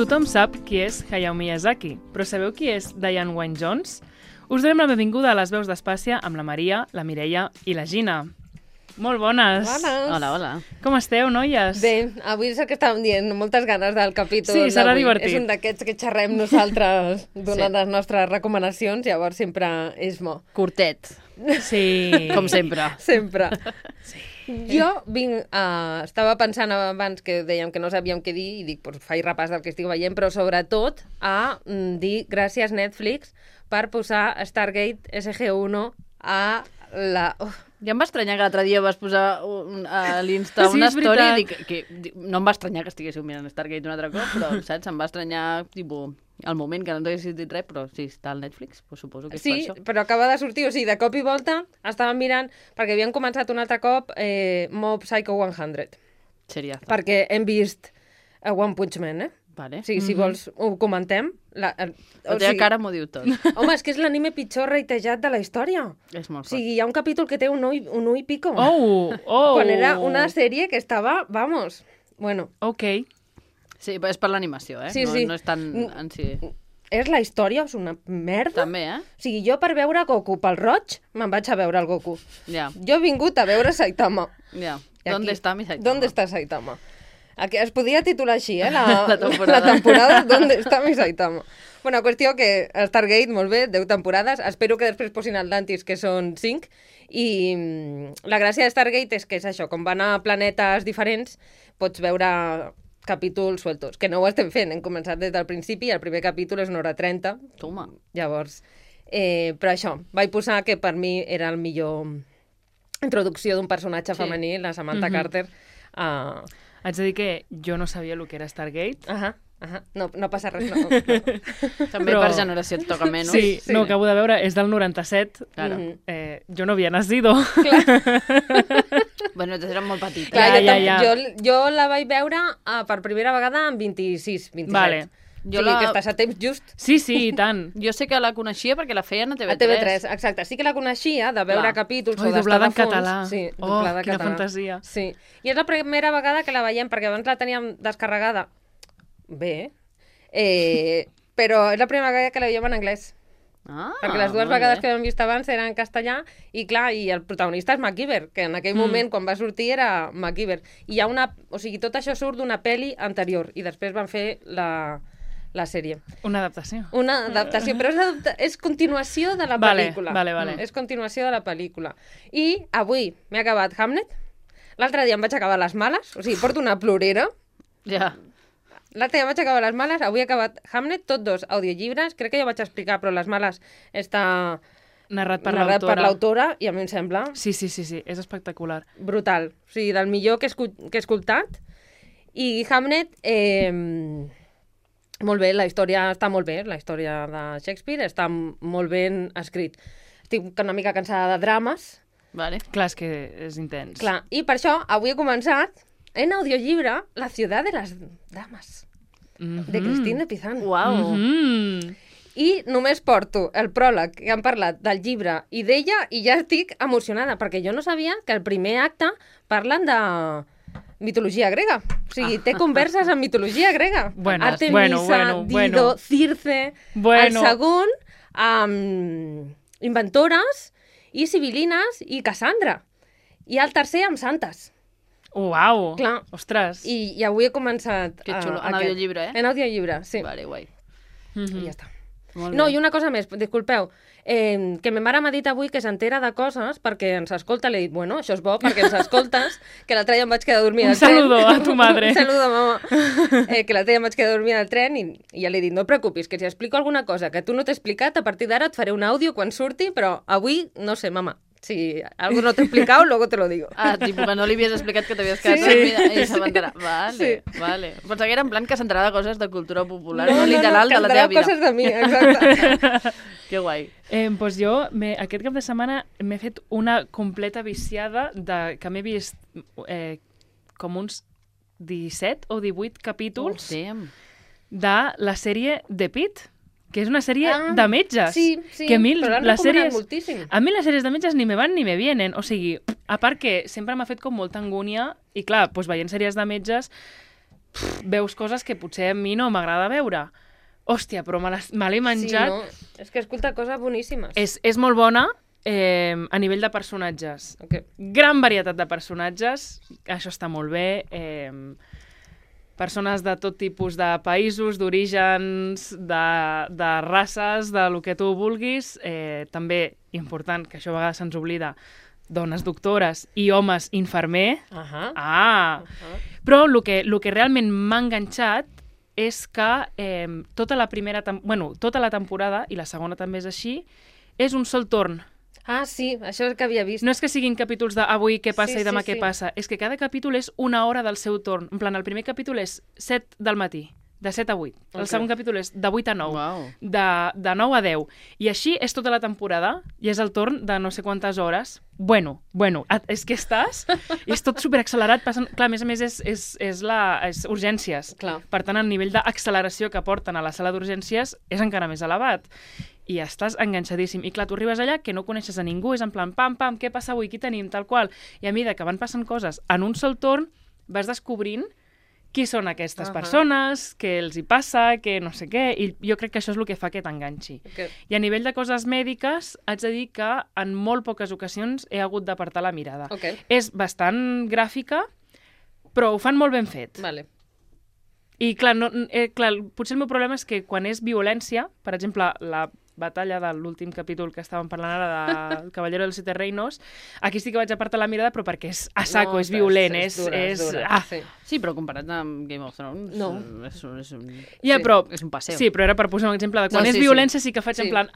Tothom sap qui és Hayao Miyazaki, però sabeu qui és Diane Wynne-Jones? Us donem la benvinguda a les veus d'Espàcia amb la Maria, la Mireia i la Gina. Molt bones! Bones! Hola, hola. Com esteu, noies? Bé, avui és el que estàvem dient, moltes ganes del capítol Sí, serà d'avui. divertit. És un d'aquests que xerrem nosaltres donant les nostres recomanacions, llavors sempre és bo. Curtet, Sí. com sempre. Sempre. Sí. Jo estava pensant abans que dèiem que no sabíem què dir i dic, faig repàs del que estic veient, però sobretot a dir gràcies Netflix per posar Stargate SG-1 a la... Ja em va estranyar que l'altre dia vas posar a l'Insta Sí, una és story i veritat. dic, no em va estranyar que estiguéssiu mirant Stargate un altre cop, però saps? Em va estranyar tipus, al moment que no t'haguessis dit res, però sí, està al Netflix, doncs suposo que és Sí, per això. però acaba de sortir, o sigui, de cop i volta estàvem mirant, perquè havien començat un altre cop Mob Psycho 100, Seriaza. perquè hem vist One Punch Man, Vale. O sigui, si vols, ho comentem. La teva cara m'ho diu tot. Home, és que és l'anime pitjor reitejat de la història. És molt O fort. sigui, hi ha un capítol que té un ull i pico. Oh! Quan era una sèrie que estava, vamos, bueno, Ok. Sí, però és per l'animació, Sí, no, sí. no és tan en si... és la història, és una merda. També, O sigui, jo per veure Goku pel roig, me'n vaig a veure el Goku. Ja, Jo he vingut a veure Saitama. ja. I ¿Dónde aquí, está mi Saitama? ¿Dónde está Saitama? Aquí es podia titular així, La temporada. La temporada ¿Dónde está mi Saitama? Bueno, qüestió que Stargate, molt bé, 10 temporades. Espero que després posin el Dantis, que són 5. I la gràcia de Stargate és que és això, com van a planetes diferents, pots veure capítols sueltos, que no ho estem fent, hem començat des del principi, el primer capítol és 1h30, Toma. llavors... però això, vaig posar que per mi era el millor introducció d'un personatge Sí. femení, la Samantha Carter. Haig de dir que jo no sabia el que era Stargate. No passa res, no. També Però- per generació et toca menys. Sí, sí. no, acabo de veure, és del 97. Claro. Jo no havia nacido. Bueno, eres molt petita. Clar, Ja. jo la vaig veure per primera vegada amb 26, 27. Vale. Jo O sigui, la- que estàs a temps just. Sí, sí, i tant. Jo sé que la coneixia perquè la feien a TV3. A TV3, exacte. Sí que la coneixia de veure Clar. capítols Oi, o d'estar doblada de en fons. català. Sí, Oh, doblada en quina català. fantasia. Sí. I és la primera vegada que la veiem, perquè abans la teníem descarregada. Bé. Però és la primera vegada que la veiem en anglès. Ah, Perquè les dues molt vegades bé. que hem vist abans eren en castellà i, clar, i el protagonista és MacGyver, que en aquell moment, quan va sortir, era MacGyver. I hi ha una... O sigui, tot això surt d'una pel·li anterior i després van fer la sèrie. Una adaptació. Una adaptació, però és continuació de la Vale, pel·lícula. vale. És continuació de la pel·lícula. I avui m'he acabat Hamlet. L'altre dia em vaig acabar Les Males, o sigui, porto una plorera. Ja. L'altre dia vaig acabar Les Males, avui he acabat Hamlet, tots dos audiollibres. Crec que ja ho vaig explicar, però Les Males està Narrat per narrat per l'autora. l'autora i a mi em sembla Sí, és espectacular. brutal. O sigui, del millor que he escoltat. I Hamlet, molt bé, la història està molt bé, la història de Shakespeare està molt ben escrit. Estic una mica cansada de drames, Vale. Clar, és que és intens. clar, i per això avui he començat en audiollibre La ciudad de las damas, de Christine Pizan. Uau. I només porto el pròleg que han parlat del llibre i d'ella i ja estic emocionada, perquè jo no sabia que el primer acte parlen de mitologia grega. O sigui, té converses en mitologia grega. Bueno, Artemisa, Dido, Circe... Bueno. El segon, amb inventores i sibilines i Cassandra. I el tercer amb santes. Uau! Clar. Ostres! I avui he començat... Que xulo. En aquest. audiollibre, En audiollibre, sí. Vale, guai. I ja està. Molt No, bé. i una cosa més, disculpeu, que ma mare m'ha dit avui que s'entera de coses perquè ens escolta. Li he dit, bueno, això és bo perquè ens escoltes, que l'altre dia em vaig quedar a dormir Un al tren. saludo a tu madre. Un saludo, mama. Que l'altre dia em vaig quedar a dormir al tren i ja li he dit, no et preocupis, que si explico alguna cosa que tu no t'he explicat, a partir d'ara et faré un àudio quan surti, però avui, no sé, mama, si algo no t'he explicat, luego te lo digo. Ah, tipus que no li havies explicat que t'havies quedat Sí. dormida i s'aventarà. Vale, Sí. vale. Pensava que era en plan que s'entrarà de coses de cultura popular, no literal de la cantarà teva vida. coses de mi, exacte. Que guai. Doncs jo, aquest cap de setmana m'he fet una completa viciada que m'he vist com uns 17 o 18 capítols Damn. de la sèrie The Pitt, que és una sèrie de metges. Sí, sí, que a mi però l'han les recomanat sèries, moltíssim. a mi les sèries de metges ni me van ni me vienen. O sigui, a part que sempre m'ha fet com molta angúnia i clar, doncs veient sèries de metges veus coses que potser a mi no m'agrada veure. Hòstia, però me l'he menjat. Sí, no? És que escolta coses boníssimes. És molt bona a nivell de personatges. Okay. Gran varietat de personatges, això està molt bé. Persones de tot tipus de països, d'orígens, de races, de lo que tu vulguis. També, important, que això a vegades se'ns oblida, dones doctores i homes infermer. Però el que realment m'ha enganxat és que tota la temporada, i la segona també és així, és un sol torn. Ah, sí, això és que havia vist. No és que siguin capítols d'avui què passa i demà què passa, és que cada capítol és una hora del seu torn. En plan, el primer capítol és 7 del matí, de 7 a 8. El segon capítol és de 8 a 9, de 9 a 10. I així és tota la temporada, i és el torn de no sé quantes hores. Bueno, és que estàs... I és tot superaccelerat. Clar, a més és urgències. Clar. Per tant, el nivell d'acceleració que porten a la sala d'urgències és encara més elevat. I estàs enganxadíssim. I clar, tu arribes allà que no coneixes a ningú, és en plan, pam, què passa avui, qui tenim, tal qual. I a mesura que van passant coses en un sol torn, vas descobrint qui són aquestes persones, què els hi passa, què no sé què, i jo crec que això és el que fa que t'enganxi. Okay. I a nivell de coses mèdiques, haig de dir que en molt poques ocasions he hagut d'apartar la mirada. Okay. És bastant gràfica, però ho fan molt ben fet. Vale. I clar, potser el meu problema és que quan és violència, per exemple, la batalla de l'últim capítol que estàvem parlant ara del Caballero dels Siete Reinos, aquí sí que vaig apartar la mirada, però perquè és a saco, és violent, és dura. Sí, però comparat amb Game of Thrones, és un passeo. Sí, però era per posar un exemple de quan és violència sí que faig en plan,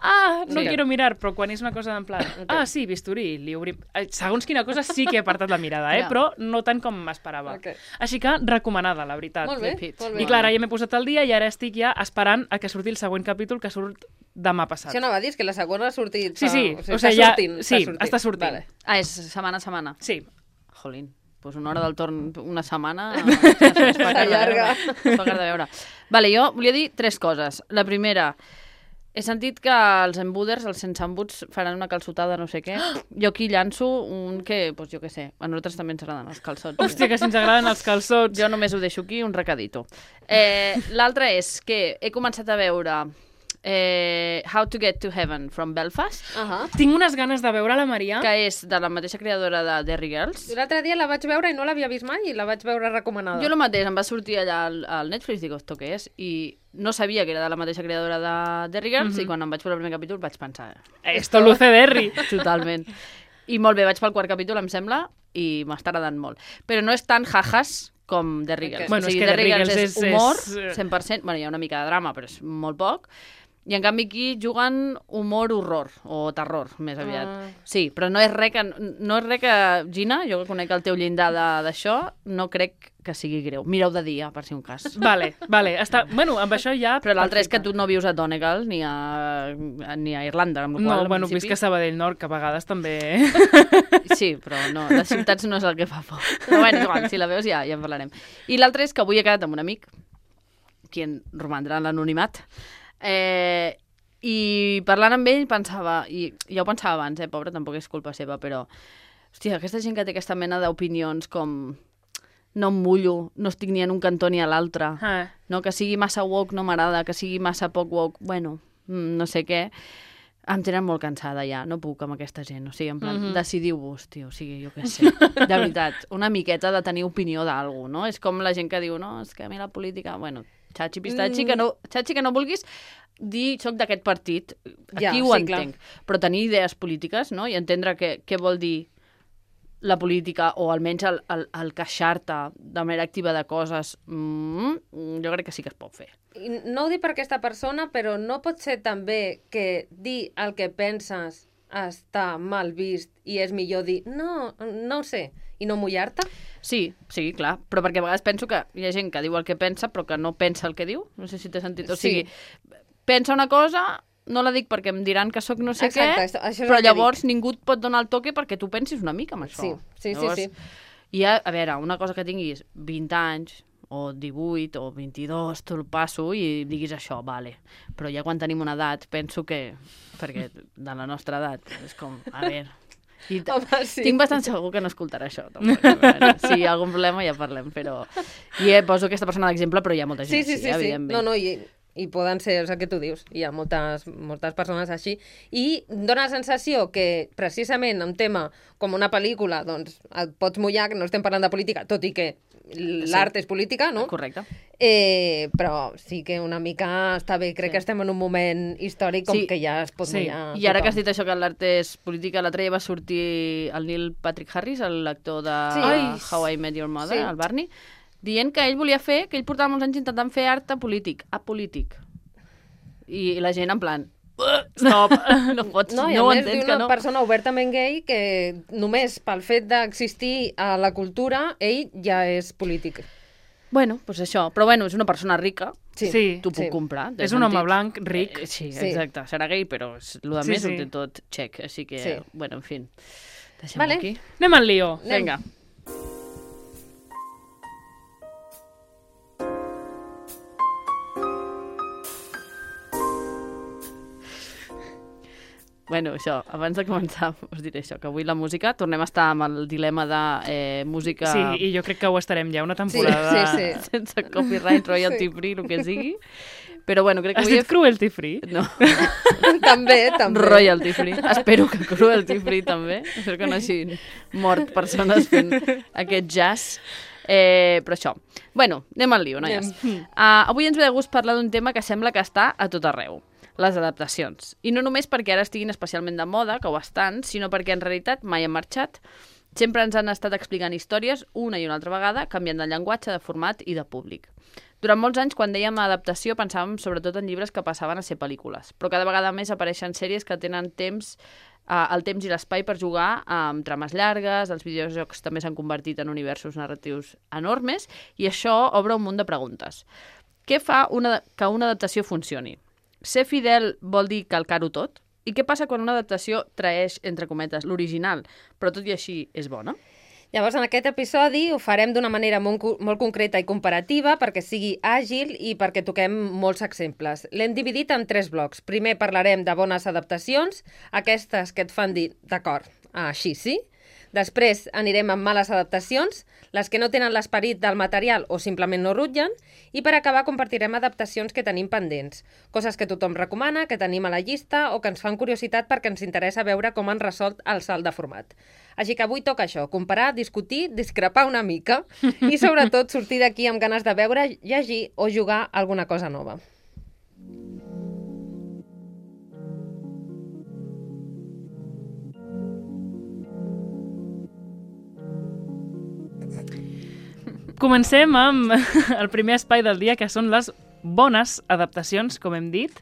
no quiero mirar, però quan és una cosa en plan, sí, bisturí, li obrim... Segons quina cosa sí que he apartat la mirada, però no tant com m'esperava. Així que recomanada, la veritat. Molt bé. I clar, ja m'he posat al dia i ara estic ja esperant a que surti el següent capítol, que surt demà passat. Això anava a dir, és que la segona ha sortit... Sí. Està sortint. Vale. És setmana a setmana? Sí. Jolín, doncs una hora del torn, una setmana... S'allarga. Es fa car de veure. Vale, jo volia dir 3 coses. La primera, he sentit que els embuders, els sense embuts, faran una calçotada, no sé què. Jo aquí llanço un que, doncs jo què sé, a nosaltres també ens agraden els calçots. Hòstia, que si ens agraden els calçots. Jo només ho deixo aquí, un recadito. L'altre és que he començat a veure... How to Get to Heaven from Belfast. Tinc unes ganes de veure la Maria. Que és de la mateixa creadora de Derry Girls. L'altre dia la vaig veure i no l'havia vist mai i la vaig veure recomanada. Jo el mateix, em va sortir allà al Netflix, dic, esto què és? I no sabia que era de la mateixa creadora de Derry Girls i quan em vaig veure el primer capítol vaig pensar... Esto luce Derry. Totalment. I molt bé, vaig pel quart capítol, em sembla, i m'està agradant molt. Però no és tan jajas com Derry Girls. Bueno, és que Derry Girls és humor, 100%. Bueno, hi ha una mica de drama, però és molt poc. I en canvi aquí juguen humor horror, o terror, més aviat. Sí, però no és res que Gina, jo que conec el teu llindar d'això, no crec que sigui greu. Mireu de dia, per si un cas. Vale. Bueno, amb això ja... Però l'altre és que tu no vius a Donegal ni a Irlanda, amb la qual No, visc a Sabadell Nord, que a vegades també... Sí, però no, les ciutats no és el que fa por. Però bueno, igual, si la veus ja en parlarem. I l'altre és que avui he quedat amb un amic, qui romandrà en l'anonimat, i parlant amb ell pensava, i ja ho pensava abans, pobre, tampoc és culpa seva, però hòstia, aquesta gent que té aquesta mena d'opinions com no em mullo, no estic ni en un cantó ni a l'altre, no, que sigui massa woke no m'agrada, que sigui massa poc woke, bueno, no sé què, em tenen molt cansada ja, no puc amb aquesta gent, o sigui, en plan, decidiu-vos, tio, o sigui, jo què sé, de veritat, una miqueta de tenir opinió d'algú, no? És com la gent que diu, no, és que a mi la política, bueno, xatxi pistatxi, que no vulguis dir soc d'aquest partit, aquí ho entenc, però tenir idees polítiques, no?, i entendre què vol dir la política, o almenys el queixar-te de manera activa de coses, jo crec que sí que es pot fer. No ho dic per aquesta persona, però no pot ser també que dir el que penses està mal vist i és millor dir no ho sé, i no mullar-te? Sí, clar, però perquè a vegades penso que hi ha gent que diu el que pensa però que no pensa el que diu, no sé si t'he sentit, o sigui, pensa una cosa, no la dic perquè em diran que sóc no sé què, però llavors ningú et pot donar el toque perquè tu pensis una mica amb això. Sí. I a veure, una cosa que tinguis 20 anys, o 18, o 22, tu el passo i diguis això, vale. Però ja quan tenim una edat, penso que, perquè de la nostra edat, és com, a veure, Home, sí. Tinc bastant segur que no escoltarà això. Tampoc. Bueno, si hi ha algun problema ja parlem, però... I poso aquesta persona d'exemple, però hi ha molta gent Sí. evidentment. No, i poden ser, és el que tu dius, hi ha moltes persones així, i dona la sensació que precisament un tema com una pel·lícula, doncs et pots mullar, que no estem parlant de política, tot i que l'art és política, no? Correcte. Però sí que una mica està bé, crec que estem en un moment històric com que ja es pot mullar I ara que has dit això que l'art és política, l'altre dia va sortir el Neil Patrick Harris, l'actor de How I Met Your Mother, el Barney, dient que ell volia fer, que ell portava molts anys intentant fer art apolític. I la gent en plan... Stop, no pots, no ho entens entens que no. Una Persona obertament gay que només pel fet d'existir a la cultura, ell ja és polític. Bueno, doncs això. Però bueno, és una persona rica. Sí. T'ho puc comprar. És un home blanc, ric. Sí, exacte. Serà gay, però el més ho té tot xec. Així que, bueno, en fi. Deixem-ho aquí. Anem al lío. Vinga. Bueno, això, abans de començar us diré això, que avui la música, tornem a estar amb el dilema de música... Sí, i jo crec que ho estarem ja una temporada... Sí. Sense copyright, royalty free, el que sigui. Però bueno, crec que Has dit cruelty free? No. també. Royalty free. Espero que cruelty free també. Espero que no hagin mort persones fent aquest jazz. Però això. Bueno, anem al lío, noies. Avui ens ve de gust parlar d'un tema que sembla que està a tot arreu. Les adaptacions. I no només perquè ara estiguin especialment de moda, que ho estan, sinó perquè en realitat mai han marxat. Sempre ens han estat explicant històries una i una altra vegada, canviant de llenguatge, de format i de públic. Durant molts anys, quan dèiem adaptació, pensàvem sobretot en llibres que passaven a ser pel·lícules, però cada vegada més apareixen sèries que tenen el temps i l'espai per jugar amb trames llargues, els videojocs també s'han convertit en universos narratius enormes, i això obre un munt de preguntes. Què fa que una adaptació funcioni? Ser fidel vol dir calcar-ho tot? I què passa quan una adaptació traeix, entre cometes, l'original, però tot i així és bona? Llavors, en aquest episodi ho farem d'una manera molt concreta i comparativa perquè sigui àgil i perquè toquem molts exemples. L'hem dividit en 3 blocs. Primer parlarem de bones adaptacions, aquestes que et fan dir, d'acord, així sí. Després anirem amb males adaptacions, les que no tenen l'esperit del material o simplement no rutllen, i per acabar compartirem adaptacions que tenim pendents, coses que tothom recomana, que tenim a la llista o que ens fan curiositat perquè ens interessa veure com han resolt el salt de format. Així que avui toca això, comparar, discutir, discrepar una mica i sobretot sortir d'aquí amb ganes de veure, llegir o jugar alguna cosa nova. Comencem amb el primer espai del dia, que són les bones adaptacions, com hem dit.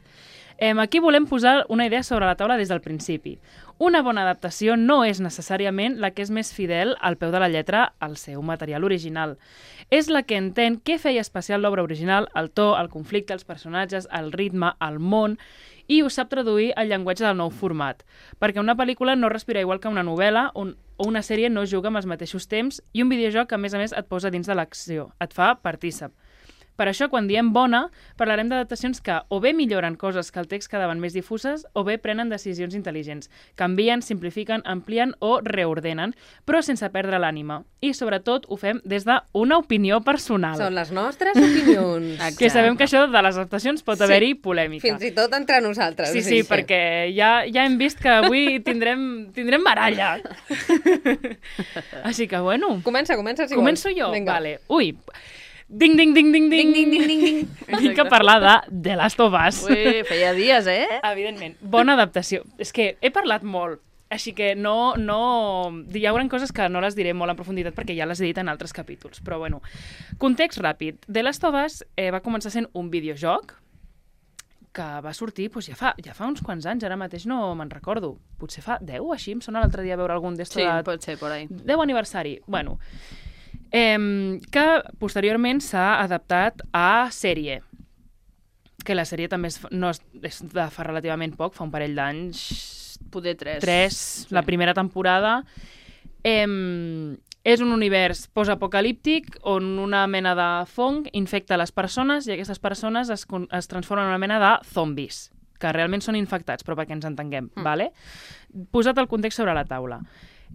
Aquí volem posar una idea sobre la taula des del principi. Una bona adaptació no és necessàriament la que és més fidel al peu de la lletra al seu material original. És la que entén què feia especial l'obra original, el to, el conflicte, els personatges, el ritme, el món, i ho sap traduir al llenguatge del nou format. Perquè una pel·lícula no respira igual que una novel·la o una sèrie no juga amb els mateixos temps i un videojoc, a més, et posa dins de l'acció, et fa partícip. Per això, quan diem bona, parlarem d'adaptacions que o bé milloren coses que el text quedaven més difuses o bé prenen decisions intel·ligents. Canvien, simplifiquen, amplien o reordenen, però sense perdre l'ànima. I, sobretot, ho fem des d'una opinió personal. Són les nostres opinions. Que sabem que això de les adaptacions pot haver-hi polèmica. Fins i tot entre nosaltres. Sí, perquè ja hem vist que avui tindrem baralla. Així que, bueno... Comença, si vols. Començo jo? Vinga. Vale. Ui... Ding, ding, ding, ding, ding, ding, ding, ding. Vinc a parlar de The Last of Us. Ui, feia dies, Evidentment. Bona adaptació. És que he parlat molt, així que no... Hi haurà coses que no les diré molt en profunditat perquè ja les he dit en altres capítols. Però, bueno, context ràpid. The Last of Us va començar sent un videojoc que va sortir ja fa uns quants anys, ara mateix no me'n recordo. Potser fa 10 o així, em sona l'altre dia veure algun d'esto de... Sí, pot ser, por ahí. 10 aniversari. Bueno... que posteriorment s'ha adaptat a sèrie, que la sèrie també és de fa relativament poc, fa un parell d'anys, poder 3. 3, la primera temporada. És un univers postapocalíptic on una mena de fong infecta les persones i aquestes persones es transformen en una mena de zombis. que realment són infectats, però perquè ens entenguem, vale? Posat el context sobre la taula.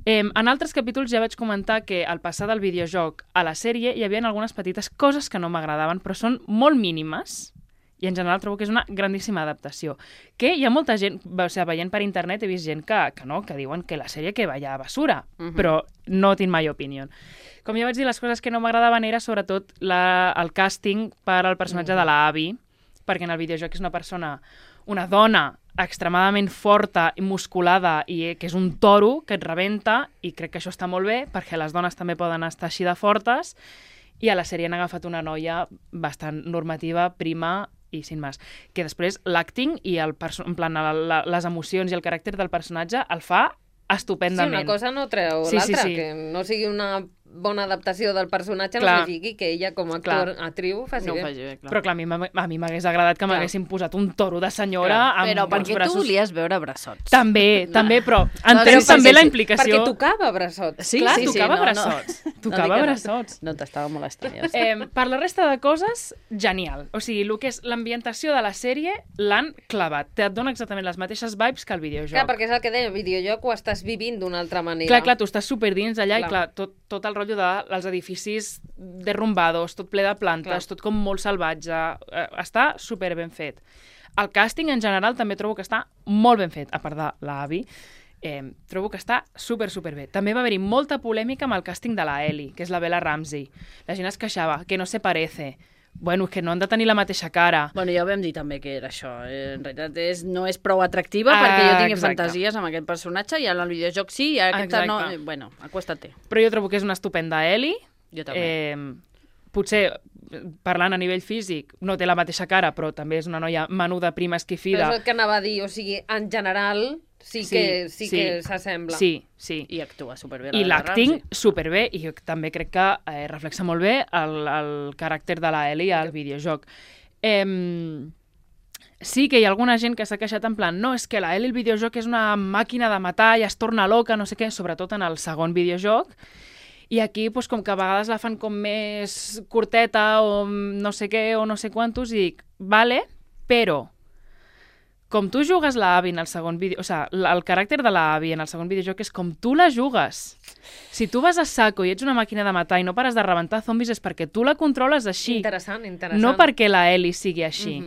En altres capítols ja vaig comentar que al passar del videojoc a la sèrie hi havia algunes petites coses que no m'agradaven, però són molt mínimes, i en general trobo que és una grandíssima adaptació. Que hi ha molta gent, o sigui, veient per internet he vist gent que diuen que la sèrie que vaya a basura, però no tinc mai opinió. Com ja vaig dir, les coses que no m'agradaven era sobretot el càsting per al personatge de la Abby, perquè en el videojoc és una dona extremadament forta i musculada i que és un toro que et rebenta, i crec que això està molt bé perquè les dones també poden estar així de fortes, i a la sèrie han agafat una noia bastant normativa, prima i sin més. Que després l'acting i en plan, les emocions i el caràcter del personatge el fa estupendament. Sí, una cosa no treu l'altra, que no sigui una bona adaptació del personatge, no signifiqui que ella com a actriu faci bé. Però clar, a mi m'hagués agradat que m'haguessin posat un toro de senyora amb però perquè tu volies veure brassots. També, però entenc també la implicació. Perquè tocava brassots. Sí, tocava brassots. Tocava brassots. No t'estava molestant. Per la resta de coses, genial. O sigui, el que és l'ambientació de la sèrie l'han clavat. Et dona exactament les mateixes vibes que el videojoc. Clar, perquè és el que deia, el videojoc ho estàs vivint d'una altra manera. Clar, tu estàs superdins allà i clar, tot el rotllo dels edificis derrumbados, tot ple de plantes, tot com molt salvatge. Està super ben fet. El càsting en general també trobo que està molt ben fet, a part de l'Abby. Trobo que està super bé. També va haver-hi molta polèmica amb el càsting de la Ellie, que és la Bella Ramsey. La gent es queixava, que no se parece. Bueno, és que no han de tenir la mateixa cara. Bueno, ja ho vam dir també que era això. En realitat no és prou atractiva perquè jo tingui fantasies amb aquest personatge i en el videojoc sí, i aquesta no... Bueno, acuéstate. Però jo trobo que és una estupenda Ellie. Jo també. Potser, parlant a nivell físic, no té la mateixa cara, però també és una noia menuda, prima, esquifida. Però és el que anava a dir, o sigui, en general sí que s'assembla. Sí. I actua superbé. I l'acting superbé, i jo també crec que reflexa molt bé el caràcter de la Ellie al videojoc. Sí que hi ha alguna gent que s'ha queixat en plan no, és que la Ellie al videojoc és una màquina de matar i es torna loca, no sé què, sobretot en el segon videojoc. I aquí, doncs, com que a vegades la fan com més curteta o no sé què o no sé quantos, i dic, vale, però com tu jugues la Abby en el segon vídeo... O sigui, el caràcter de la Abby en el segon videojoc és com tu la jugues. Si tu vas a saco i ets una màquina de matar i no pares de rebentar zombis és perquè tu la controles així. Interessant. No perquè la Ellie sigui així.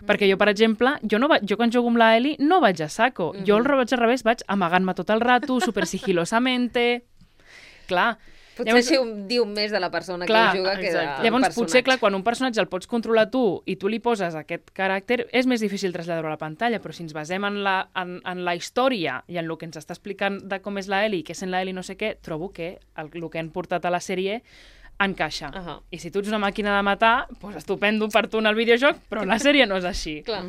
Perquè jo, per exemple, jo quan jugo amb la Ellie no vaig a saco. Jo el vaig al revés, vaig amagant-me tot el rato, super sigilosamente... Clar. Potser així diu més de la persona que juga que del personatge. Llavors, potser, clar, quan un personatge el pots controlar tu i tu li poses aquest caràcter, és més difícil traslladar-ho a la pantalla, però si ens basem en la història i en el que ens està explicant de com és la Ellie, què és la Ellie, no sé què, trobo que el que han portat a la sèrie encaixa. I si tu ets una màquina de matar, doncs estupendo per tu en el videojoc, però en la sèrie no és així. Clar.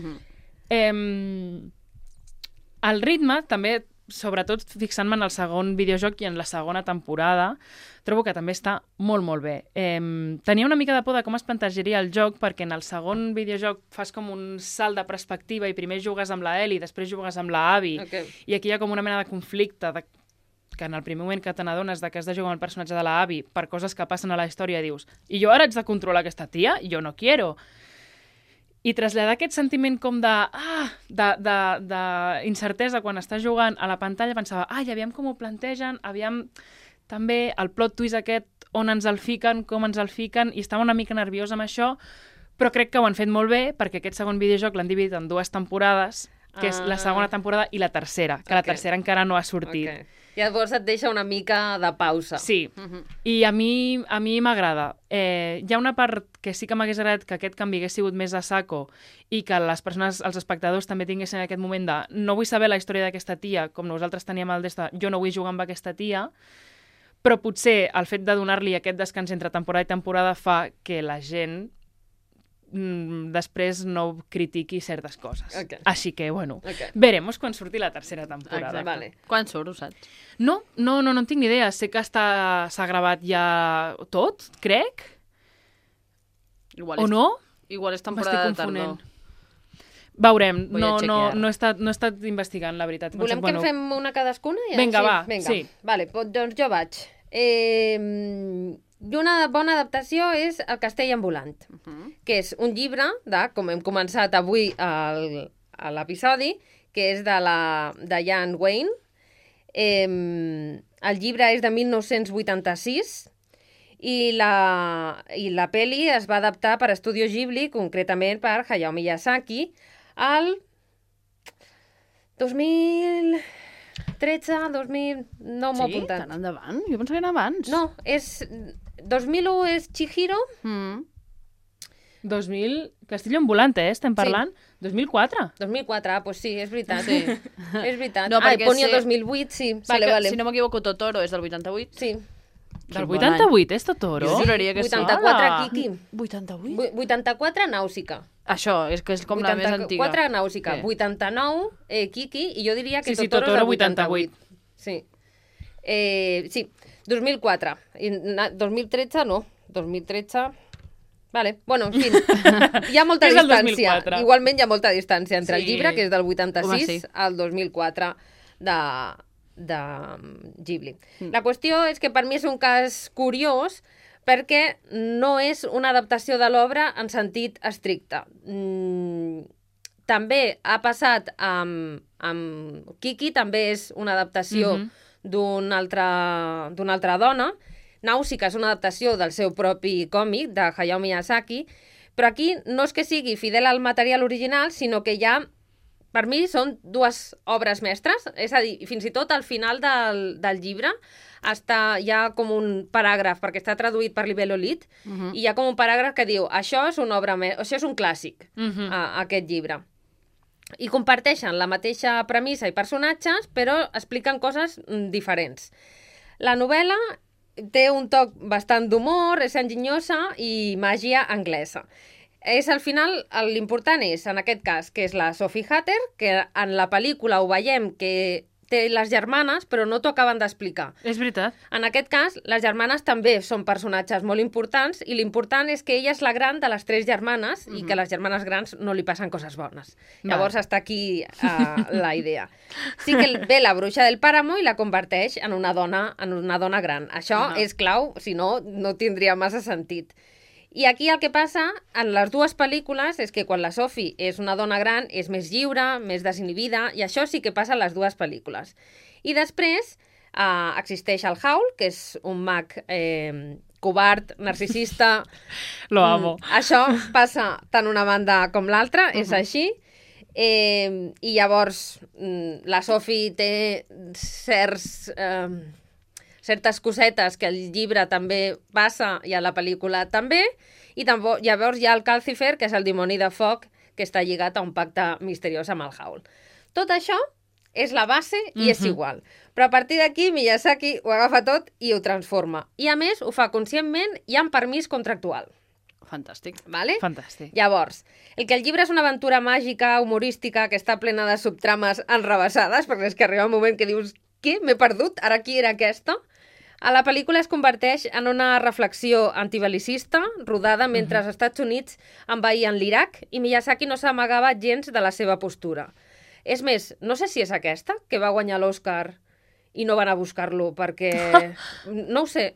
El ritme, també, sobretot fixant-me en el segon videojoc i en la segona temporada, trobo que també està molt, molt bé. Tenia una mica de por de com es plantejaria el joc, perquè en el segon videojoc fas com un salt de perspectiva i primer jugues amb la Ellie, després jugues amb la Abby, i aquí hi ha com una mena de conflicte que en el primer moment que te n'adones que has de jugar amb el personatge de la Abby per coses que passen a la història dius, i jo ara haig de controlar aquesta tia? Jo no quiero. I traslladar aquest sentiment com d'incertesa quan estàs jugant a la pantalla, pensava, aviam com ho plantegen, aviam també el plot twist aquest, on ens el fiquen, com ens el fiquen, i estava una mica nerviosa amb això, però crec que ho han fet molt bé, perquè aquest segon videojoc l'han dividit en 2 temporades, que és la segona temporada i la tercera, que la tercera encara no ha sortit. Llavors et deixa una mica de pausa. Sí, i a mi m'agrada. Hi ha una part que sí que m'hagués agradat que aquest canvi hagués sigut més a saco i que les persones, els espectadors, també tinguessin aquest moment de no vull saber la història d'aquesta tia, com nosaltres teníem el d'esta, jo no vull jugar amb aquesta tia, però potser el fet de donar-li aquest descans entre temporada i temporada fa que la gent després no critiqui certes coses. Així que, bueno, veremos quan surti la tercera temporada. Quan surt, ho saps? No en tinc ni idea. Sé que s'ha gravat ja tot, crec. O no? Igual és temporada de tardor. Veurem, no he estat investigant, la veritat. Volem que en fem una cadascuna? Vinga, va, sí. Vale, doncs jo vaig. I una bona adaptació és El castell ambulant, que és un llibre de, com hem començat avui a l'episodi, que és de Jan Wayne. El llibre és de 1986 i la peli es va adaptar per Estudio Ghibli, concretament per Hayao Miyazaki, al 2013, 2000... No m'ho he Sí? apuntat. Tan endavant? Jo pensava que era abans. No, 2001 és Chihiro. 2000... Castillo ambulante, estem parlant? 2004. 2004, doncs sí, és veritat. Sí. És veritat. No, perquè Ponyo sé- 2008, sí. Sé que, si no m'equivoco, Totoro és del 88. Sí. Del bon 88, és Totoro? Jo juraria que sí. 84, Hola. Kiki. 88? 84, Nàusica. Això, és que és com la més antiga. 84, Nàusica. Sí. 89, Kiki. I jo diria que Sí, Totoro és Totoro del 88. Sí. Sí, 2004. I 2013 no. 2013... Vale, bueno, en fi, hi ha molta És el distància. 2004. Igualment hi ha molta distància entre el Sí. llibre, que és del 86, Home, sí. al 2004 de Ghibli. La qüestió és que per mi és un cas curiós perquè no és una adaptació de l'obra en sentit estricte. També ha passat amb Kiki, també és una adaptació d'una altra dona. Nàusica és una adaptació del seu propi còmic, de Hayao Miyazaki, però aquí no és que sigui fidel al material original, sinó que ja, per mi, són dues obres mestres, és a dir, fins i tot al final del llibre hi ha com un paràgraf, perquè està traduït per Libello Lit, i hi ha com un paràgraf que diu això és una obra això és un clàssic, aquest llibre. I comparteixen la mateixa premissa i personatges, però expliquen coses diferents. La novel·la té un toc bastant d'humor, és enginyosa i màgia anglesa. Al final, l'important és, en aquest cas, que és la Sophie Hatter, que en la pel·lícula ho veiem que té les germanes, però no t'ho acaben d'explicar. És veritat. En aquest cas, les germanes també són personatges molt importants i l'important és que ella és la gran de les 3 germanes i que a les germanes grans no li passen coses bones. Llavors està aquí la idea. Sí que ve la bruixa del pàramo i la converteix en una dona gran. Això és clau, si no, no tindria massa sentit. I aquí el que passa en les dues pel·lícules és que quan la Sophie és una dona gran és més lliure, més desinhibida, i això sí que passa en les dues pel·lícules. I després existeix el Howl, que és un mag covard, narcisista... Lo amo. Això passa tant una banda com l'altra, és així. I llavors la Sophie té certes cosetes que el llibre també passa i a la pel·lícula també, i llavors hi ha el Calcifer, que és el dimoni de foc, que està lligat a un pacte misteriós amb el Howl. Tot això és la base i és igual. Però a partir d'aquí Miyazaki ho agafa tot i ho transforma. I a més ho fa conscientment i amb permís contractual. Fantàstic. Vale? Fantàstic. Llavors, el que el llibre és una aventura màgica, humorística, que està plena de subtrames enrevessades, perquè és que arriba un moment que dius què? M'he perdut? Ara qui era aquesta? A la pel·lícula es converteix en una reflexió antibelicista rodada mentre els Estats Units envaïen l'Iraq i Miyazaki no s'amagava gens de la seva postura. És més, no sé si és aquesta, que va guanyar l'Oscar i no van a buscar-lo, perquè... No ho sé,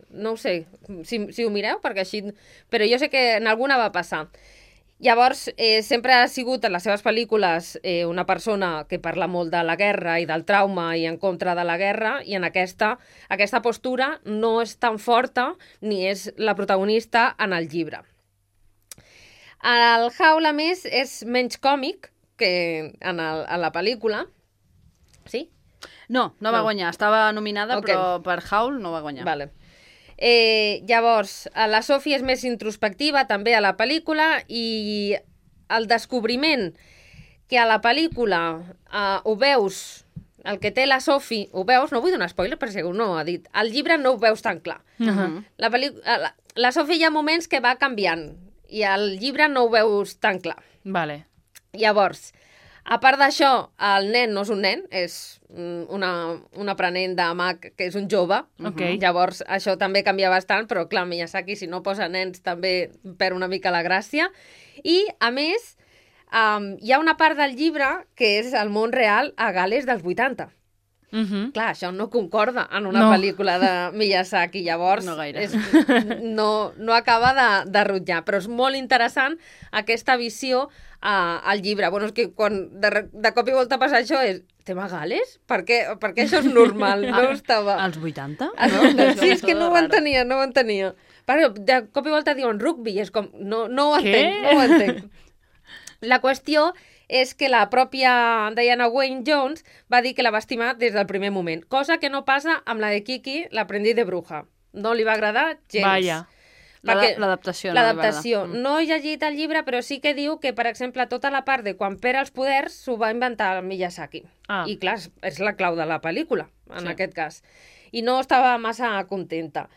si ho mireu, perquè així... Però jo sé que en alguna va passar. Llavors, sempre ha sigut en les seves pel·lícules una persona que parla molt de la guerra i del trauma i en contra de la guerra, i en aquesta postura no és tan forta ni és la protagonista en el llibre. El Howl, a més, és menys còmic que en la pel·lícula. Sí? No va guanyar. Estava nominada, però per Howl no va guanyar. Vale. Llavors, la Sophie és més introspectiva també a la pel·lícula, i el descobriment que a la pel·lícula ho veus, el que té la Sophie, ho veus, no vull donar spoiler per si algú no ho ha dit, al llibre no ho veus tan clar. La Sophie hi ha moments que va canviant i al llibre no ho veus tan clar. Vale. Llavors, a part d'això, el nen no és un nen, és un aprenent de mag que és un jove. Llavors, això també canvia bastant, però clar, Miyazaki, si no posa nens, també perd una mica la gràcia. I, a més, hi ha una part del llibre que és el món real a Gales dels 80. Clar, això no concorda en una pel·lícula de Miyazaki, llavors No gaire. no acaba de rutllar, però és molt interessant aquesta visió al llibre. Bueno, és que quan de cop i volta passa això és tema Gales? Per què això és normal? No estava... Als 80? Sí, és que no ho entenia. Però de cop i volta diuen rugby i és com... No ho entenc. La qüestió és que la pròpia Diana Wynne Jones va dir que la va estimar des del primer moment, cosa que no passa amb la de Kiki, l'aprendiz de bruja. No li va agradar gens. Vaja. L'adaptació. L'adaptació. No he llegit el llibre, però sí que diu que, per exemple, tota la part de quan perd els poders s'ho va inventar el Miyazaki. I clar, és la clau de la pel·lícula, en aquest cas. I no estava massa contenta.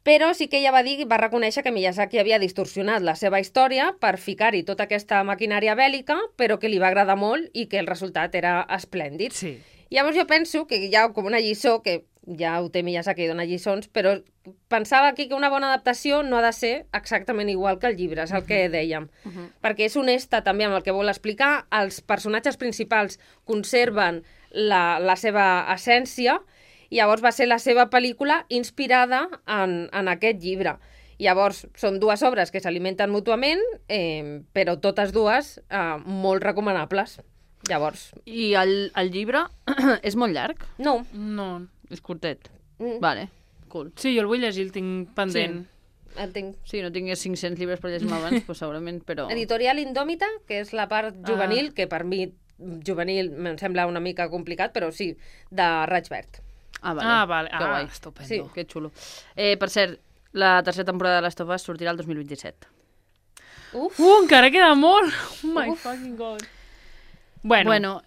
Però sí que ella va reconèixer que Miyazaki havia distorsionat la seva història per ficar-hi tota aquesta maquinària bèl·lica, però que li va agradar molt i que el resultat era esplèndid. Sí. Llavors jo penso que hi ha com una lliçó, que ja ho té Miyazaki i dona lliçons, però pensava aquí que una bona adaptació no ha de ser exactament igual que el llibre, és el que dèiem. Perquè és honesta també amb el que vol explicar, els personatges principals conserven la seva essència, i llavors va ser la seva pel·lícula inspirada en aquest llibre. Llavors, són dues obres que s'alimenten mútuament, però totes dues molt recomanables. Llavors... I el llibre és molt llarg? No. És curtet. Vale, cool. Sí, jo el vull llegir, el tinc pendent. Entenc. Sí, no tingués 500 llibres per llegir-me abans, doncs segurament, però... Editorial Indòmita, que és la part juvenil, que per mi juvenil em sembla una mica complicat, però sí, de Raig Verd. Vale. Que guai. Estupendo. Sí. Que xulo. Per cert, la tercera temporada de Last of Us sortirà el 2027. Encara queda molt! Oh my fucking god. Bueno,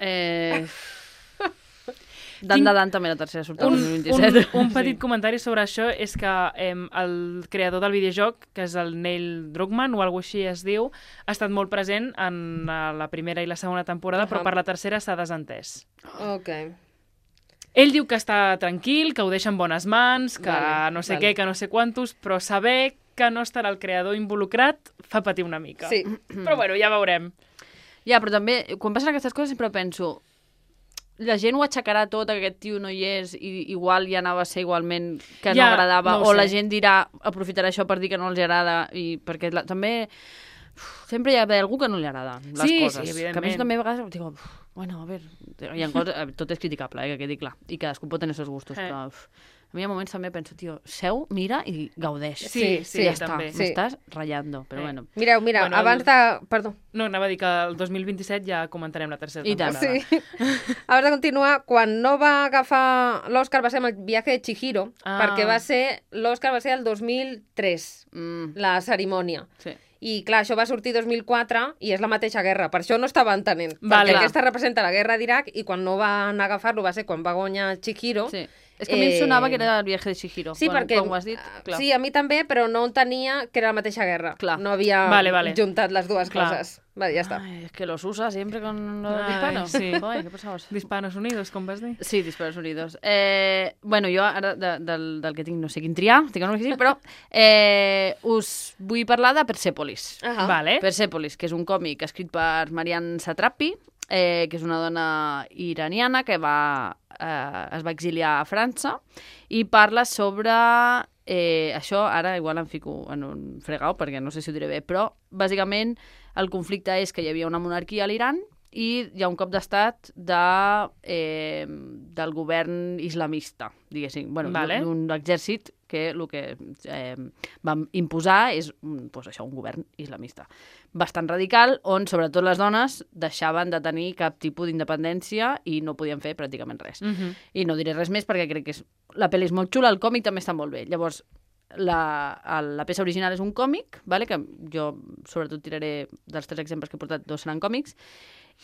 Dan també la tercera surt el 2027. Un petit comentari sobre això és que el creador del videojoc, que és el Neil Druckmann o alguna així es diu, ha estat molt present en la primera i la segona temporada, però per la tercera s'ha desentès. Ok. Ell diu que està tranquil, que ho deixa en bones mans, que no sé què, que no sé quantos, però saber que no estarà el creador involucrat fa patir una mica. Sí. Però bueno, ja veurem. Ja, però també, quan passen aquestes coses sempre penso, la gent ho aixecarà tot, que aquest tio no hi és, i igual ja anava a ser igualment que no agradava, o la gent dirà, aprofitarà això per dir que no els agrada, i perquè també sempre hi ha algú que no li agrada les coses. Sí, evidentment. Que a més també a vegades dic, bueno, a veure, hi ha coses, tot és criticable, que quedi clar, i cadascú pot tenir els seus gustos, però a mi hi ha moments també penso, tio, seu, mira i gaudeix. Sí, ja està, també. m'estàs ratllando, però bueno. Mireu, Bueno, abans de... Perdó. No, anava a dir que el 2027 ja comentarem la tercera temporada. Sí. Abans de continuar, quan no va agafar l'Òscar va ser amb el viatge de Chihiro, perquè l'Òscar va ser el 2003, la cerimònia. Sí. I clar, això va sortir 2004 i és la mateixa guerra, per això no estava entenent. Vale. Perquè aquesta representa la guerra d'Iraq i quan no van agafar-lo va ser quan va guanyar Chihiro. Sí. És que a mi em sonava que era el viatge de Chihiro. Sí, perquè... Quan ho has dit, clar. Sí, a mi també, però no entenia que era la mateixa guerra. Clar. No havia Vale. juntat les dues Clar. coses. Vale, ja està. Ay, es que los usa siempre con los disparos. Sí. Ay, ¿qué pasabas? Disparos Unidos, com vas dir? Sí, Disparos Unidos. Bueno, jo ara del que tinc no sé quin triar, tinc que sí, però us vull parlar de Persepolis. Vale. Persepolis, que és un còmic escrit per Marianne Satrapi, que és una dona iraniana que es va exiliar a França i parla sobre... això ara igual em fico en un fregau perquè no sé si ho diré bé, però bàsicament el conflicte és que hi havia una monarquia a l'Iran i hi ha un cop d'estat del govern islamista, diguéssim. Bueno, d'un exèrcit que el que van imposar és un govern islamista bastant radical, on sobretot les dones deixaven de tenir cap tipus d'independència i no podien fer pràcticament res. I no diré res més perquè crec que la pel·li és molt xula, el còmic també està molt bé. Llavors, la peça original és un còmic, que jo sobretot tiraré dels 3 exemples que he portat, 2 seran còmics,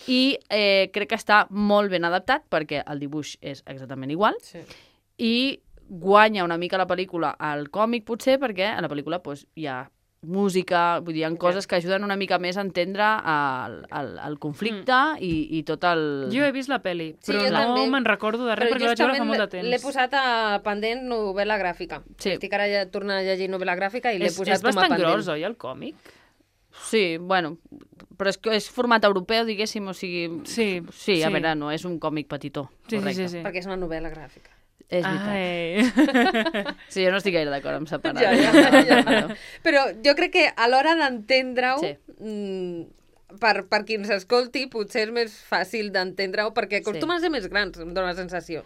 i crec que està molt ben adaptat perquè el dibuix és exactament igual i guanya una mica la pel·lícula al còmic potser perquè a la pel·lícula hi ha música, vull dir, hi ha coses que ajuden una mica més a entendre el conflicte i tot el... Jo he vist la pel·li, però no me'n recordo de res perquè la vaig veure fa molt de temps. L'he posat a pendent novel·la gràfica. Estic ara tornant a llegir novel·la gràfica i l'he posat com a pendent. És bastant gros, oi, el còmic? Sí, bueno, però és format europeu, diguéssim, o sigui... Sí, a veure, no és un còmic petitó, correcte. Sí. Perquè és una novel·la gràfica. És veritat. Sí, jo no estic gaire d'acord amb separar. Ja. Però jo crec que a l'hora d'entendre-ho, per qui ens escolti, potser és més fàcil d'entendre-ho, perquè acostumen a ser més grans, em dóna la sensació.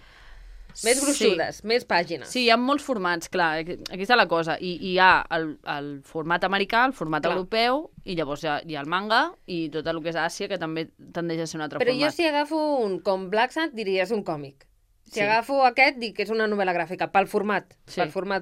Més gruixudes, més pàgines. Sí, hi ha molts formats, clar, aquí està la cosa. I hi ha el format americà, el format europeu, i llavors hi ha el manga i tot el que és Àsia, que també tendeix a ser un altre format. Però jo si agafo un com Black Sand, diria és un còmic. Si agafo aquest, dic que és una novel·la gràfica, pel format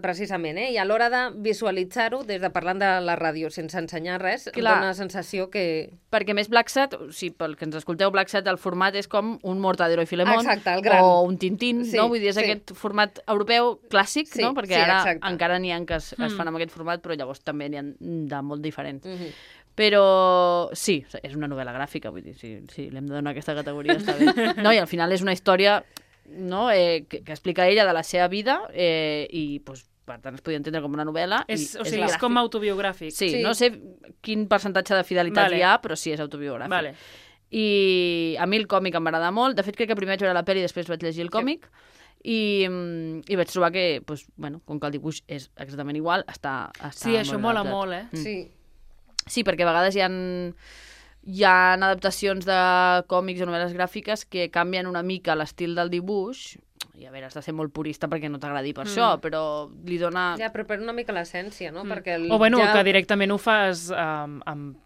precisament, i a l'hora de visualitzar-ho, des de parlant de la ràdio sense ensenyar res, em dóna la sensació que... Perquè més Black Sat, pel que ens escolteu, Black Sat, el format és com un Mortadelo i Filemón, o un Tintín, no? Vull dir, és aquest format europeu clàssic, no? Perquè ara encara n'hi ha que es fan amb aquest format, però llavors també n'hi ha de molt diferents. Però sí, és una novel·la gràfica, vull dir, si li hem de donar aquesta categoria, està bé. No, i al final és una història... no? Que explica ella de la seva vida i pues, per tant es podia entendre com una novel·la. És com autobiogràfic. Sí, no sé quin percentatge de fidelitat hi ha, però sí, és autobiogràfic. I a mi el còmic em va agradar molt. De fet, crec que primer vaig veure la pel·li i després vaig llegir el còmic i vaig trobar que, pues, bueno, com que el dibuix és exactament igual, està sí, això mola molt, Sí, perquè a vegades hi ha adaptacions de còmics o novel·les gràfiques que canvien una mica l'estil del dibuix, i a veure, has de ser molt purista perquè no t'agradi per això, però li dona... Ja, però per una mica l'essència, no? Perquè o bueno, que directament ho fas en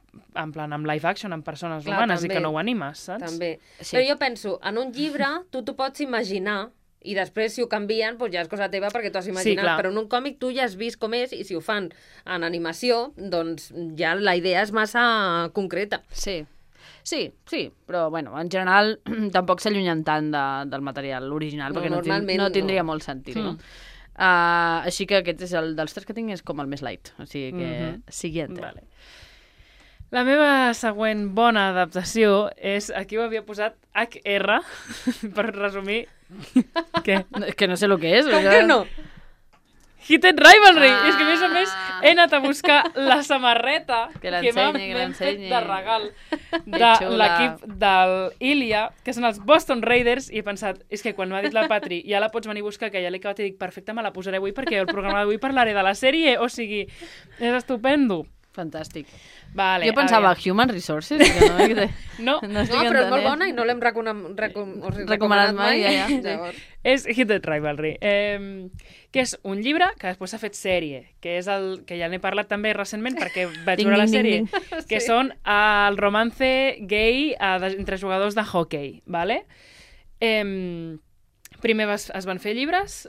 plan amb live action, amb persones humanes, i que no ho animes, saps? També. Però jo penso, en un llibre tu t'ho pots imaginar, i després si ho canvien doncs ja és cosa teva perquè t'ho has imaginat, però en un còmic tu ja has vist com és i si ho fan en animació doncs ja la idea és massa concreta. Sí, però bueno, en general tampoc s'allunyen tant del material original perquè no tindria molt sentit, no? Així que aquest és dels tres que tinc és com el més light, o sigui que siguiente. Vale. La meva següent bona adaptació és, aquí ho havia posat HR, per resumir... Què? Que no sé el que és. Com que no? Heated Rivalry! És que, a més, he anat a buscar la samarreta que m'han fet de regal de l'equip del Ilia, que són els Boston Raiders, i he pensat, és que quan m'ha dit la Patri, ja la pots venir a buscar, que ja l'he acabat i dic, perfecte, me la posaré avui perquè el programa d'avui parlaré de la sèrie, o sigui, és estupendo. Fantàstic. Vale, jo pensava Human Resources. No, però és molt bona i no l'hem recomanat mai. És Heated Rivalry, que és un llibre que després s'ha fet sèrie, que és el que ja n'he parlat també recentment perquè vaig veure la sèrie, que són el romance gay entre jugadors de hockey. Vale? Primer es van fer llibres,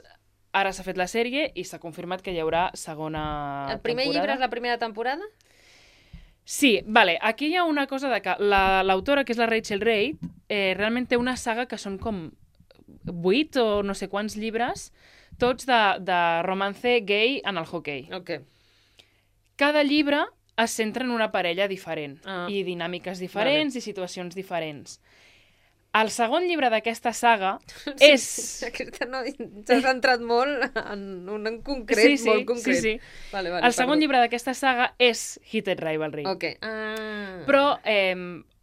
ara s'ha fet la sèrie i s'ha confirmat que hi haurà segona temporada. El primer llibre és la primera temporada? Sí, vale. Aquí hi ha una cosa de que l'autora, que és la Rachel Reid, realment té una saga que són com 8 o no sé quants llibres, tots de romance gay en el hockey. Okay. Cada llibre es centra en una parella diferent i dinàmiques diferents i situacions diferents. El segon llibre d'aquesta saga és... Aquesta no, s'ha centrat molt en un en concret, molt concret. Sí. Vale, el segon llibre d'aquesta saga és Heated Rivalry. Okay. Però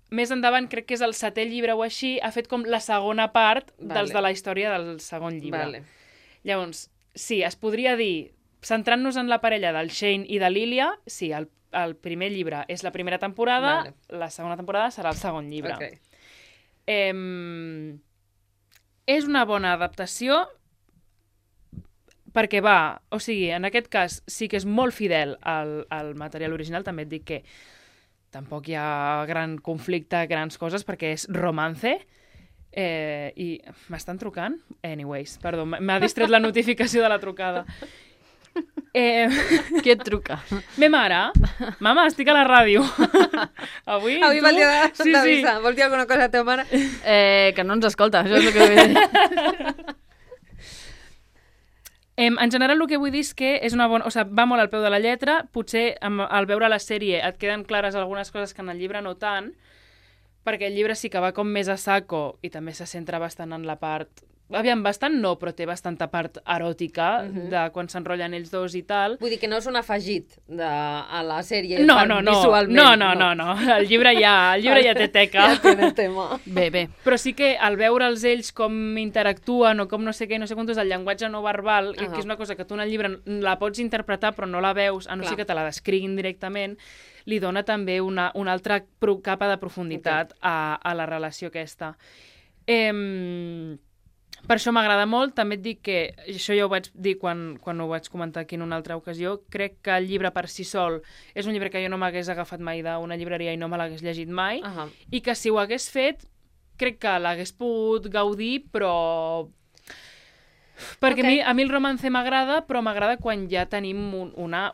més endavant, crec que és el 7è llibre o així, ha fet com la segona part dels de la història del segon llibre. Vale. Llavors, sí, es podria dir, centrant-nos en la parella del Shane i de l'Ilia, sí, el primer llibre és la primera temporada, la segona temporada serà el segon llibre. Okay. És una bona adaptació perquè o sigui, en aquest cas sí que és molt fidel al material original, també et dic que tampoc hi ha gran conflicte, grans coses, perquè és romance, i m'estan trucant? Anyways, perdó, m'ha distret la notificació de la trucada. Qui et truca? Me mare. Mama, estic a la ràdio. Avui va el dia d'avisar. Vols dir alguna cosa a la teva mare? Que no ens escolta, això és el que vull dir. En general, el que vull dir és que és una bona... O sigui, va molt al peu de la lletra. Potser al veure la sèrie et queden clares algunes coses que en el llibre no tant, perquè el llibre sí que va com més a saco i també se centra bastant en la part Aviam, bastant no, però té bastanta part eròtica de quan s'enrotllen ells dos i tal. Vull dir que no és un afegit a la sèrie No. visualment. No. El llibre ja té teca. Ja té el tema. Bé. Però sí que al veure'ls ells com interactuen o com no sé què, no sé quantos, el llenguatge no verbal, que és una cosa que tu en el llibre la pots interpretar però no la veus, a no ser que te la descriguin directament, li dona també una altra capa de profunditat a la relació aquesta. Per això m'agrada molt. També et dic que, això ja ho vaig dir quan ho vaig comentar aquí en una altra ocasió, crec que el llibre per si sol és un llibre que jo no m'hagués agafat mai d'una llibreria i no me l'hagués llegit mai, i que si ho hagués fet, crec que l'hagués pogut gaudir, però... Perquè a mi el romance m'agrada, però m'agrada quan ja tenim una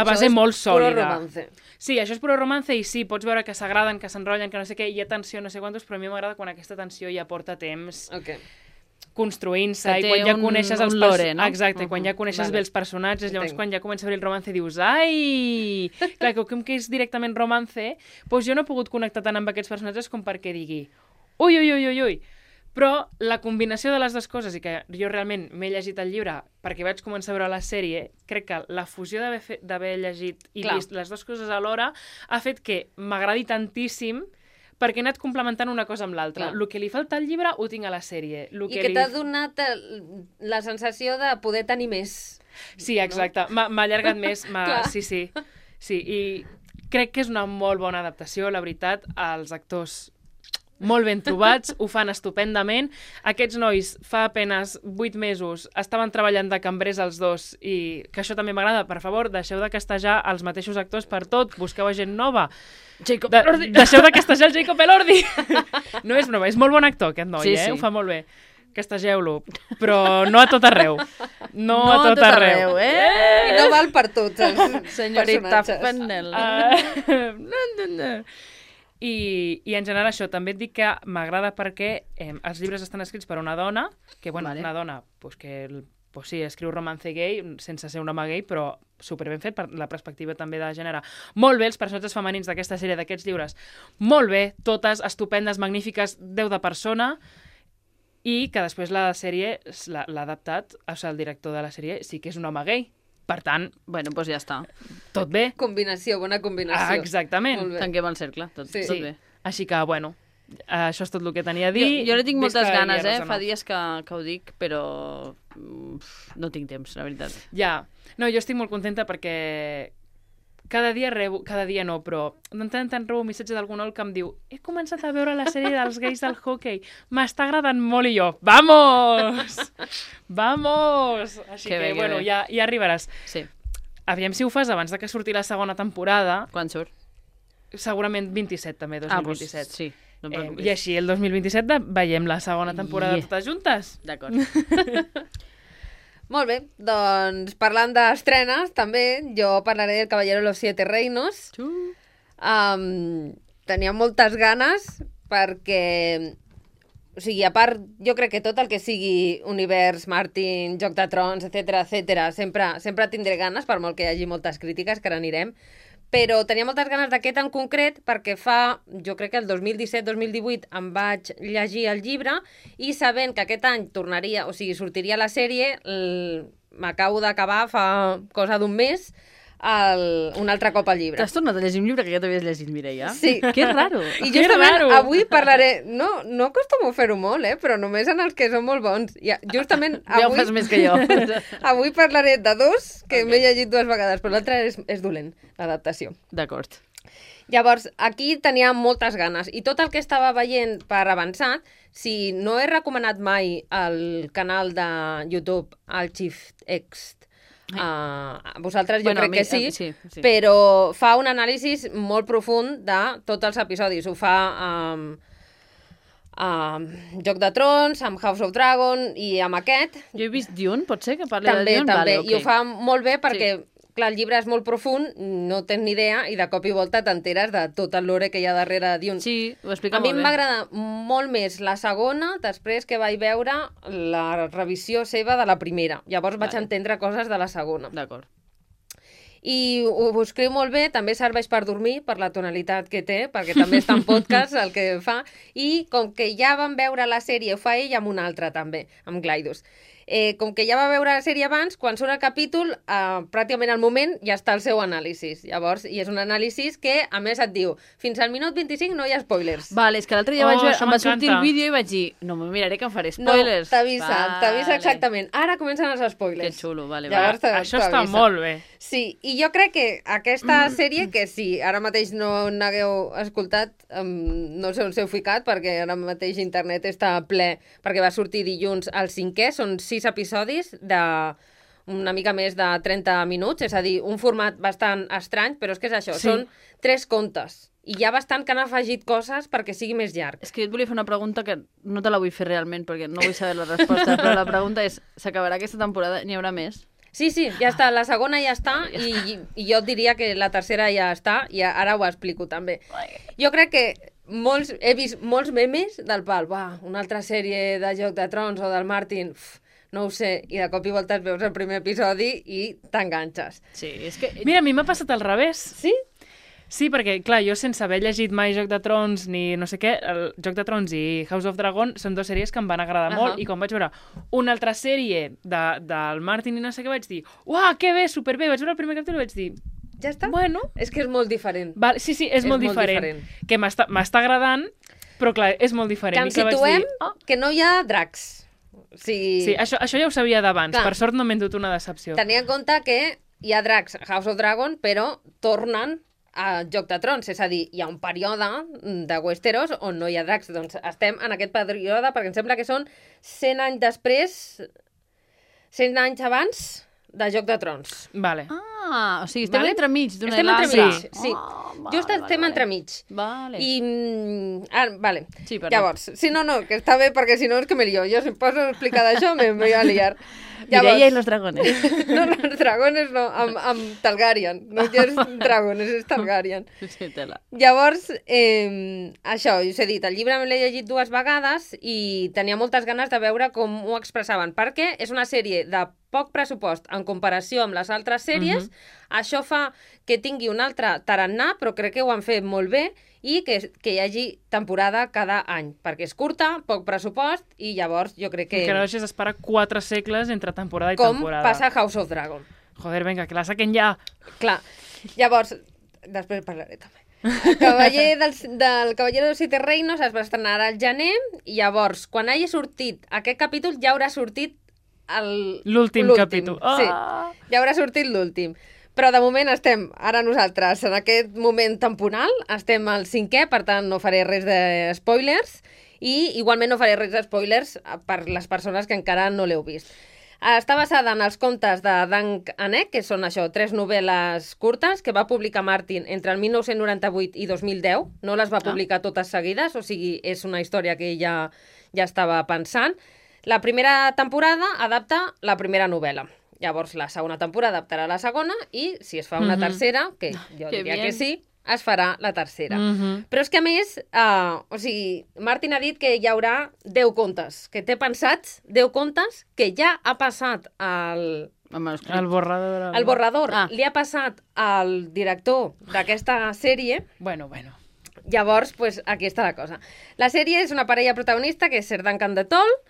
base molt sòlida. Puro romance. Sí, això és puro romance i sí, pots veure que s'agraden, que s'enrotllen, que no sé què, hi ha tensió, no sé quantos, però a mi m'agrada quan aquesta tensió ja porta temps construint-se i quan ja coneixes els lore, no? Exacte, quan ja coneixes bé els personatges, llavors quan ja comença a obrir el romance dius ai! Clar, com que és directament romance, doncs jo no he pogut connectar tant amb aquests personatges com perquè digui ui. Però la combinació de les dues coses, i que jo realment m'he llegit el llibre perquè vaig començar a veure la sèrie, crec que la fusió d'haver llegit i vist les dues coses alhora ha fet que m'agradi tantíssim perquè he anat complementant una cosa amb l'altra. El que li falta al llibre ho tinc a la sèrie. I que t'ha donat la sensació de poder tenir més. Sí, exacte. M'ha allargat més. Sí, i crec que és una molt bona adaptació, la veritat. Els actors molt ben trobats, ho fan estupendament. Aquests nois fa apenes 8 mesos estaven treballant de cambrers els dos i que això també m'agrada. Per favor, deixeu de castejar els mateixos actors per tot, busqueu a gent nova. Deixeu de castejar el Jacob Elordi. No és broma, és molt bon actor aquest noi, ho fa molt bé. Castegeu-lo, però no a tot arreu. No a tot arreu. I no val per tots els senyorita personatges. Fennel. I en general això, també et dic que m'agrada perquè els llibres estan escrits per una dona, que una dona que sí, escriu romance gay sense ser un home gay, però superben fet per la perspectiva també de gènere. Molt bé, els personatges femenins d'aquesta sèrie, d'aquests llibres, molt bé, totes estupendes, magnífiques, 10 de persona, i que després la sèrie l'ha adaptat, o sigui, el director de la sèrie sí que és un home gay. Per tant, bueno, doncs ja està. Tot bé. Bona combinació. Exactament. Tanquem el cercle, tot bé. Així que, bueno, això és tot el que tenia a dir. Jo no tinc moltes ganes, fa dies que ho dic, però no tinc temps, la veritat. Ja. No, jo estic molt contenta perquè cada dia no, però de tant en tant rebo un missatge d'algun ol que em diu he començat a veure la sèrie dels gais del hockey, m'està agradant molt, i jo, vamos! Vamos! Així que, bueno, ja arribaràs. Sí. Aviam si ho fas abans de que surti la segona temporada. Quan surt? Segurament 27, també, 2027. Doncs sí, no em preocupis. I així, el 2027 veiem la segona temporada totes juntes. D'acord. Molt bé, doncs parlant d'estrenes, també, jo parlaré del Caballero de los Siete Reinos. Tenia moltes ganes perquè, o sigui, a part, jo crec que tot el que sigui univers, Martin, Joc de Trons, etc, sempre tindré ganes, per molt que hi hagi moltes crítiques, que ara anirem, però tenia moltes ganes d'aquest en concret perquè jo crec que el 2017-2018 em vaig llegir el llibre i sabent que aquest any sortiria la sèrie, m'acabo d'acabar fa cosa d'un mes un altre cop al llibre. T'has tornat a llegir un llibre que ja t'havies llegit, Mireia? Sí. Que raro. I justament avui parlaré... No acostumo a fer-ho molt, però només en els que són molt bons. Justament avui... Ja ho fas més que jo. Avui parlaré de dos que m'he llegit 2 vegades, però l'altre és dolent, l'adaptació. D'acord. Llavors, aquí tenia moltes ganes. I tot el que estava veient per avançat, si no he recomanat mai el canal de YouTube, el Chief X, vosaltres jo crec que sí, però fa un anàlisi molt profund de tots els episodis. Ho fa Joc de Trons, amb House of Dragon i amb aquest. Jo he vist Dune, pot ser que parli de Dune? També, i ho fa molt bé perquè clar, el llibre és molt profund, no tens ni idea, i de cop i volta t'enteres de tot el lore que hi ha darrere de Dune. Sí, ho explica molt bé. A mi em va agradar molt més la segona, després que vaig veure la revisió seva de la primera. Llavors vaig entendre coses de la segona. D'acord. I ho escriu molt bé, també serveix per dormir, per la tonalitat que té, perquè també està en podcast el que fa, i com que ja vam veure la sèrie, ho fa ell amb una altra també, amb Glidus. Com que ja va veure la sèrie abans, quan surt el capítol, pràcticament al moment ja està el seu anàlisi. Llavors, i és un anàlisi que, a més, et diu fins al minut 25 no hi ha spoilers. Vale, és que l'altre dia això em va sortir el m'encanta. vídeo i vaig dir, no me miraré que em faré No, spoilers. t'avisa exactament. Ara comencen els Que spoilers. xulo, vale. Llavors, Això està t'avisa. molt bé. Sí, i jo crec que aquesta sèrie, que si ara mateix no n'hagueu escoltat, no sé on s'heu ficat, perquè ara mateix internet està ple, perquè va sortir dilluns el 5è, són 6 episodis de una mica més de 30 minuts, és a dir, un format bastant estrany, però és que és això, Sí. són 3 contes. I hi ha bastant que han afegit coses perquè sigui més llarg. És que et volia fer una pregunta que no te la vull fer realment perquè no vull saber la resposta, però la pregunta és, s'acabarà aquesta temporada? N'hi haurà més? Sí, ja està, la segona ja està, i jo diria que la tercera ja està, i ara ho explico també. Jo crec que he vist molts memes del pal, una altra sèrie de Joc de Trons o del Martin, no ho sé, i de cop i volta et veus el primer episodi i t'enganxes. Sí, és que... Mira, a mi m'ha passat al revés. Sí? Sí, perquè, clar, jo sense haver llegit mai Joc de Trons ni no sé què, el Joc de Trons i House of Dragon són dues sèries que em van agradar molt, i quan vaig veure una altra sèrie del Martin i no sé què, vaig dir, uah, que bé, superbé, vaig veure el primer capítol i vaig dir, Ja està? bueno... És que és molt diferent. Sí, és molt diferent. Que m'està agradant, però clar, és molt diferent. Que ens I vaig situem dir, que no hi ha dracs. Sí, això ja ho sabia d'abans. Clar. Per sort no m'he endut una decepció. Tenir en compte que hi ha dracs a House of Dragon, però tornen a Joc de Trons, és a dir, hi ha un període de Westeros on no hi ha dracs. Doncs estem en aquest període perquè em sembla que són 100 anys després, 100 anys abans de Joc de Trons. Vale. o sigui, estem entremig d'una i Estem l'altra. entremig, sí. Vale, Just estem entremig. Vale. I... vale. Sí, perdó. Llavors, sí, no, que està bé, perquè si no és que me lío. Jo si em poso a explicar d'això me voy a liar. Mireia i los dragones. No, los dragones no, amb Targaryen. No és dragones, és Targaryen. Sí, tela. Llavors, això, us he dit, el llibre me l'he llegit 2 vegades i tenia moltes ganes de veure com ho expressaven, perquè és una sèrie de poc pressupost en comparació amb les altres sèries. Això fa que tingui un altre tarannà, però crec que ho han fet molt bé, i que hi hagi temporada cada any, perquè és curta, poc pressupost, i llavors jo crec que... Que no deixes esperar 4 segles entre temporada i com temporada. passa a House of Dragon. Joder, vinga, que la saquen ja. Clar, llavors, després parlaré també. El Cavaller del Cavaller dels Siete Reinos es va estrenar al gener, i llavors, quan hagi sortit aquest capítol, ja haurà sortit l'últim capítol. Sí, ja haurà sortit l'últim. Però de moment estem, ara nosaltres, en aquest moment temporal, estem al 5è, per tant no faré res de spoilers, i igualment no faré res de spoilers per les persones que encara no l'heu vist. Està basada en els contes de Dank Anek, que són això, 3 novel·les curtes que va publicar Martin entre el 1998 i 2010. No les va publicar totes seguides, o sigui, és una història que ella ja estava pensant. La primera temporada adapta la primera novel·la. Llavors, la segona temporada adaptarà la segona i, si es fa una tercera, que jo diria que sí, es farà la tercera. Però és que, a més, o sigui, Martin ha dit que hi haurà 10 contes, que té pensats 10 contes que ja ha passat al... El borrador. El borrador li ha passat al director d'aquesta sèrie. Bueno. Llavors, pues, aquí està la cosa. La sèrie és una parella protagonista, que és Sir Duncan de Tol,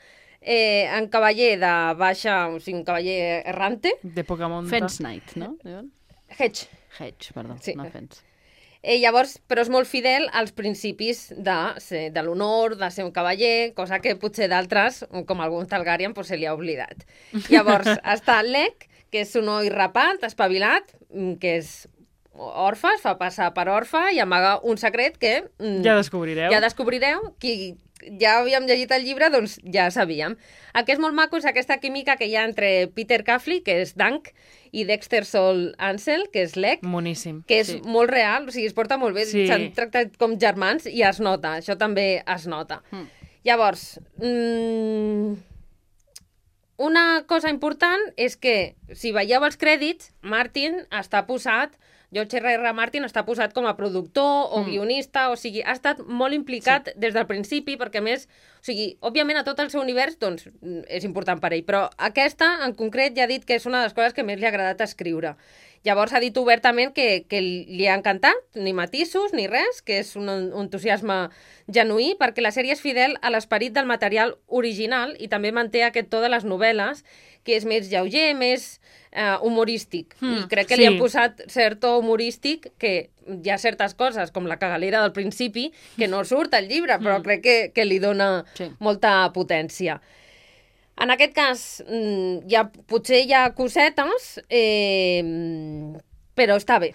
en cavaller de baixa, o sigui, un cavaller errante. De poca monta. Fence Knight, no? Hedge. Hedge, perdó, Sí. no Fence. Llavors, però és molt fidel als principis de l'honor, de ser un cavaller, cosa que potser d'altres, com algun Targaryen, pues, se li ha oblidat. Llavors, està Lec, que és un noi rapat, espavilat, que és orfe, es fa passar per orfe i amaga un secret que... Ja descobrireu. Ja descobrireu. Qui ja havíem llegit el llibre, doncs ja sabíem. El que és molt maco és aquesta química que hi ha entre Peter Caffley, que és Dank, i Dexter Sol Ansel, que és Lec, Moníssim. que és molt real, o sigui, es porta molt bé, s'han tractat com germans i es nota, això també es nota. Llavors, una cosa important és que, si veieu els crèdits, Martin està posat, George R.R. Martin està posat com a productor o guionista, o sigui, ha estat molt implicat des del principi, perquè a més, o sigui, òbviament a tot el seu univers, doncs, és important per ell, però aquesta, en concret, ja ha dit que és una de les coses que més li ha agradat escriure. Llavors ha dit obertament que li ha encantat, ni matisos ni res, que és un entusiasme genuí, perquè la sèrie és fidel a l'esperit del material original i també manté aquest to de les novel·les, que és més lleuger, més humorístic. I crec que li han posat cert to humorístic, que hi ha certes coses, com la cagalera del principi, que no surt al llibre, però crec que li dona molta potència. En aquest cas, potser hi ha cosetes, però està bé.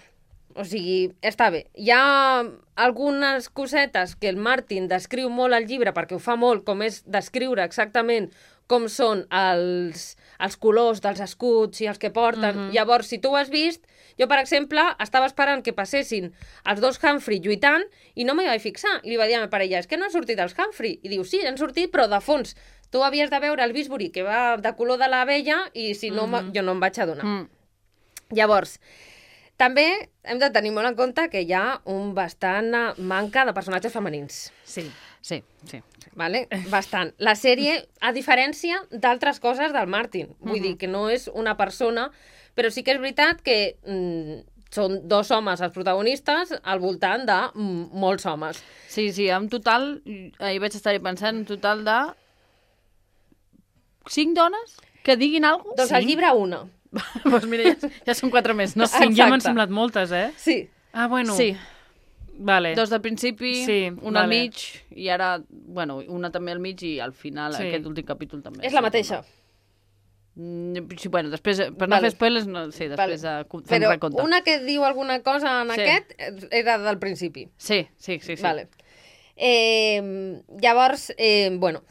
O sigui, està bé. Hi ha algunes cosetes que el Martin descriu molt al llibre, perquè ho fa molt, com és descriure exactament com són els colors dels escuts i els que porten. Llavors, si tu ho has vist, jo, per exemple, estava esperant que passessin els dos Humphrey lluitant i no m'hi vaig fixar. I li va dir a la meva parella, és que no han sortit els Humphrey. I diu, sí, han sortit, però de fons. Tu havies de veure el Bisbury, que va de color de l'abella, i si no, jo no em vaig adonar. Llavors, també hem de tenir molt en compte que hi ha un bastant manca de personatges femenins. Sí. Vale? Bastant. La sèrie, a diferència d'altres coses del Martin, vull dir que no és una persona, però sí que és veritat que són dos homes els protagonistes al voltant de molts homes. Sí, en total, ahir vaig estar pensant, en total de 5 dones que diguin alguna cosa? Doncs al llibre una. Doncs mira, ja són 4 més, no? 5 ja m'han semblat moltes, eh? Sí. Ah, bueno. Sí. Vale. 2 del principi, una al mig, i ara, bueno, una també al mig i al final, aquest últim capítol també. És la mateixa. Sí, bueno, després, per no fer spoilers, no, sí, després fem recompte. Però una que diu alguna cosa en aquest era del principi. Sí. Vale. Llavors,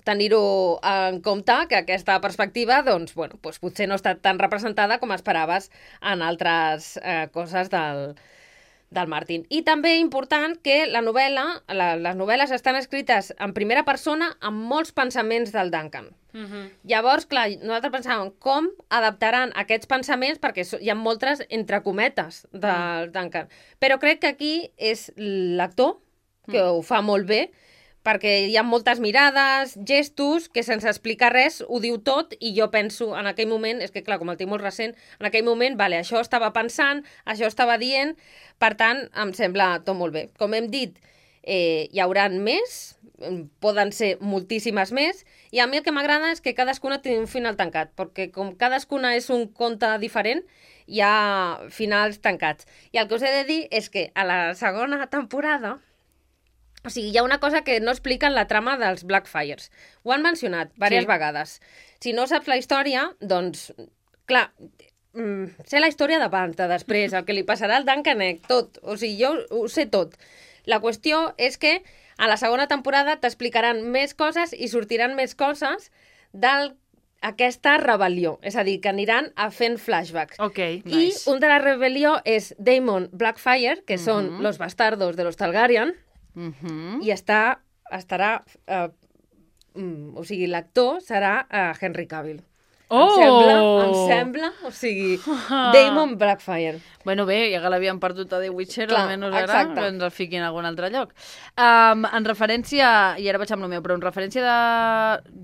tenir-ho en compte, que aquesta perspectiva, doncs, potser no està tan representada com esperaves en altres coses del Martin. I també important que les novel·les estan escrites en primera persona amb molts pensaments del Duncan. Llavors, clar, nosaltres pensàvem com adaptaran aquests pensaments, perquè hi ha moltes entre cometes del Duncan. Però crec que aquí és l'actor que ho fa molt bé, perquè hi ha moltes mirades, gestos, que sense explicar res ho diu tot, i jo penso en aquell moment, és que clar, com el tinc molt recent, en aquell moment, això estava pensant, això estava dient, per tant, em sembla tot molt bé. Com hem dit, hi hauran més, poden ser moltíssimes més, i a mi el que m'agrada és que cadascuna té un final tancat, perquè com cadascuna és un conte diferent, hi ha finals tancats. I el que us he de dir és que a la segona temporada, o sigui, hi ha una cosa que no explica en la trama dels Blackfires. Ho han mencionat diverses vegades. Si no saps la història, doncs, clar, sé la història d'abans, de després, el que li passarà al Duncan, tot. O sigui, jo ho sé tot. La qüestió és que a la segona temporada t'explicaran més coses i sortiran més coses d'aquesta rebel·lió. És a dir, que aniran fent flashbacks. Ok, nice. I un de la rebel·lió és Daemon Blackfire, que són los bastardos de los Targaryen, i estarà o sigui, l'actor serà Henry Cavill. Em sembla, o sigui, Daemon Blackfire. Bueno, bé, ja que l'havien perdut a The Witcher, almenys ara que ens el fiquin en algun altre lloc. En referència, i ara vaig amb el meu, però en referència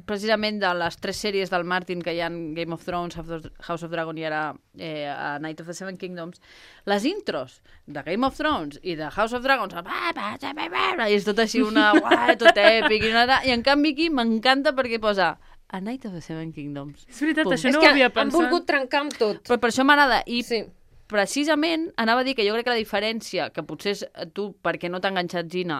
precisament de les 3 sèries del Martin que hi ha Game of Thrones, House of Dragon i ara a Night of the Seven Kingdoms, les intros de Game of Thrones i de House of Dragons i és tot així tot èpic i en canvi aquí m'encanta perquè posa A Night of the Seven Kingdoms. És veritat, això no ho havia pensat. Han volgut trencar amb tot. Però per això m'agrada. I precisament anava a dir que jo crec que la diferència, que potser és tu perquè no t'ha enganxat Gina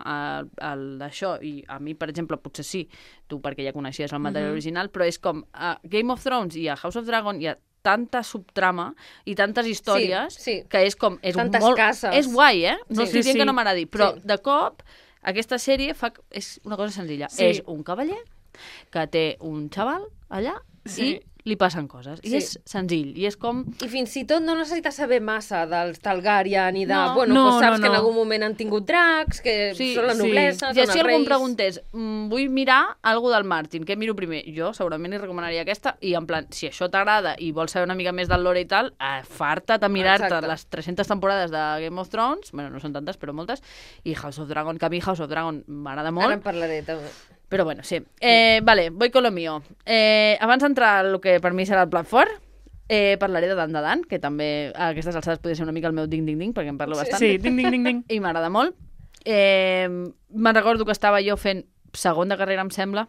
d'això, i a mi, per exemple, potser sí, tu perquè ja coneixies el material original, però és com a Game of Thrones i a House of Dragon hi ha tanta subtrama i tantes històries que és com... Tantes cases. És guai, No estic dient que no m'agradi, però de cop aquesta sèrie és una cosa senzilla. És un cavaller que té un xaval allà i li passen coses. I és senzill. I és com... I fins i tot no necessites saber massa dels Targaryen i de... saps que en algun moment han tingut dracs, que són la noblesa, són els reis... I si algú em preguntés, vull mirar alguna del Martin, què miro primer? Jo segurament li recomanaria aquesta, i en plan, si això t'agrada i vols saber una mica més del lore i tal, farta't a mirar-te les 300 temporades de Game of Thrones, bueno, no són tantes, però moltes, i House of Dragon, que a mi House of Dragon m'agrada molt. Ara en parlaré, també. Però bueno, sí. Vale, voy con lo mío. Abans d'entrar al que per mi serà el plat fort, Parlaré de Dan de Dan, que també a aquestes alçades podria ser una mica el meu ding-ding-ding, perquè em parlo bastant. Sí, ding-ding-ding-ding. I m'agrada molt. Me'n recordo que estava jo fent segon de carrera, em sembla,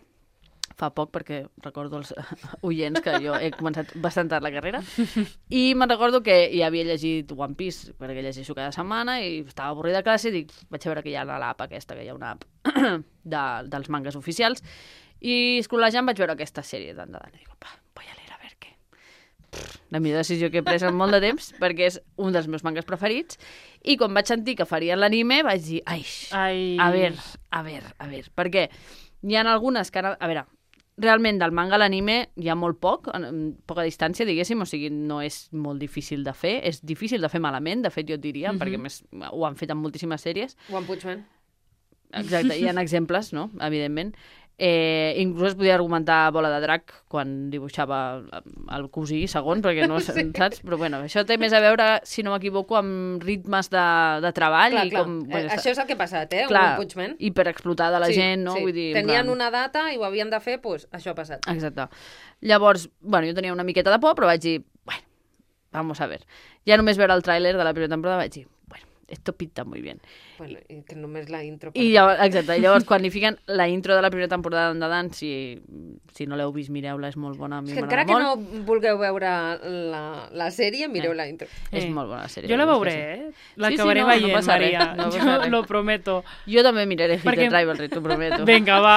fa poc, perquè recordo els oients que jo he començat bastant tard la carrera, i me'n recordo que ja havia llegit One Piece, perquè llegeixo cada setmana, i estava avorrida a classe, i dic, vaig a veure que hi ha l'app aquesta, que hi ha una app dels mangas oficials, i scrollejant vaig veure aquesta sèrie Dan de Dan, i dic, voy a leer a ver què. La millor decisió que he pres en molt de temps, perquè és un dels meus mangas preferits, i quan vaig sentir que farien l'anime vaig dir, a ver, perquè hi ha algunes que... A veure, realment del manga a l'anime hi ha molt poca distància, diguéssim, o sigui, no és molt difícil de fer, és difícil de fer malament, de fet jo et diria, perquè més ho han fet en moltíssimes sèries. One Punch Man. Exacte, hi ha exemples, no?, evidentment. Inclús es podia argumentar Bola de Drac quan dibuixava el cosí segon, perquè no saps? Però bueno, això té més a veure, si no m'equivoco, amb ritmes de treball. Clar, i com, bueno, això és el que ha passat, clar, One Punch Man. hiperexplotada la gent, no? Sí. Vull dir, tenien una data i ho havien de fer, doncs això ha passat. Exacte. Llavors, bueno, jo tenia una miqueta de por, però vaig dir, bueno, vamos a ver. Ja només veure el tràiler de la primera temporada vaig dir, bueno, esto pinta muy bien. Bueno, i que només la intro... I llavors, exacte, llavors quan li fiquen la intro de la primera temporada de Dan, si no l'heu vist, mireu-la, és molt bona, a mi encara m'agrada que molt. no vulgueu veure la sèrie, mireu la intro. És molt bona la sèrie. Jo la veuré, l'acabaré veient, passa Maria. res, no passa res. Lo prometo. Jo també miraré Hit Perquè- the Rivalry, t'ho prometo. Vinga, va.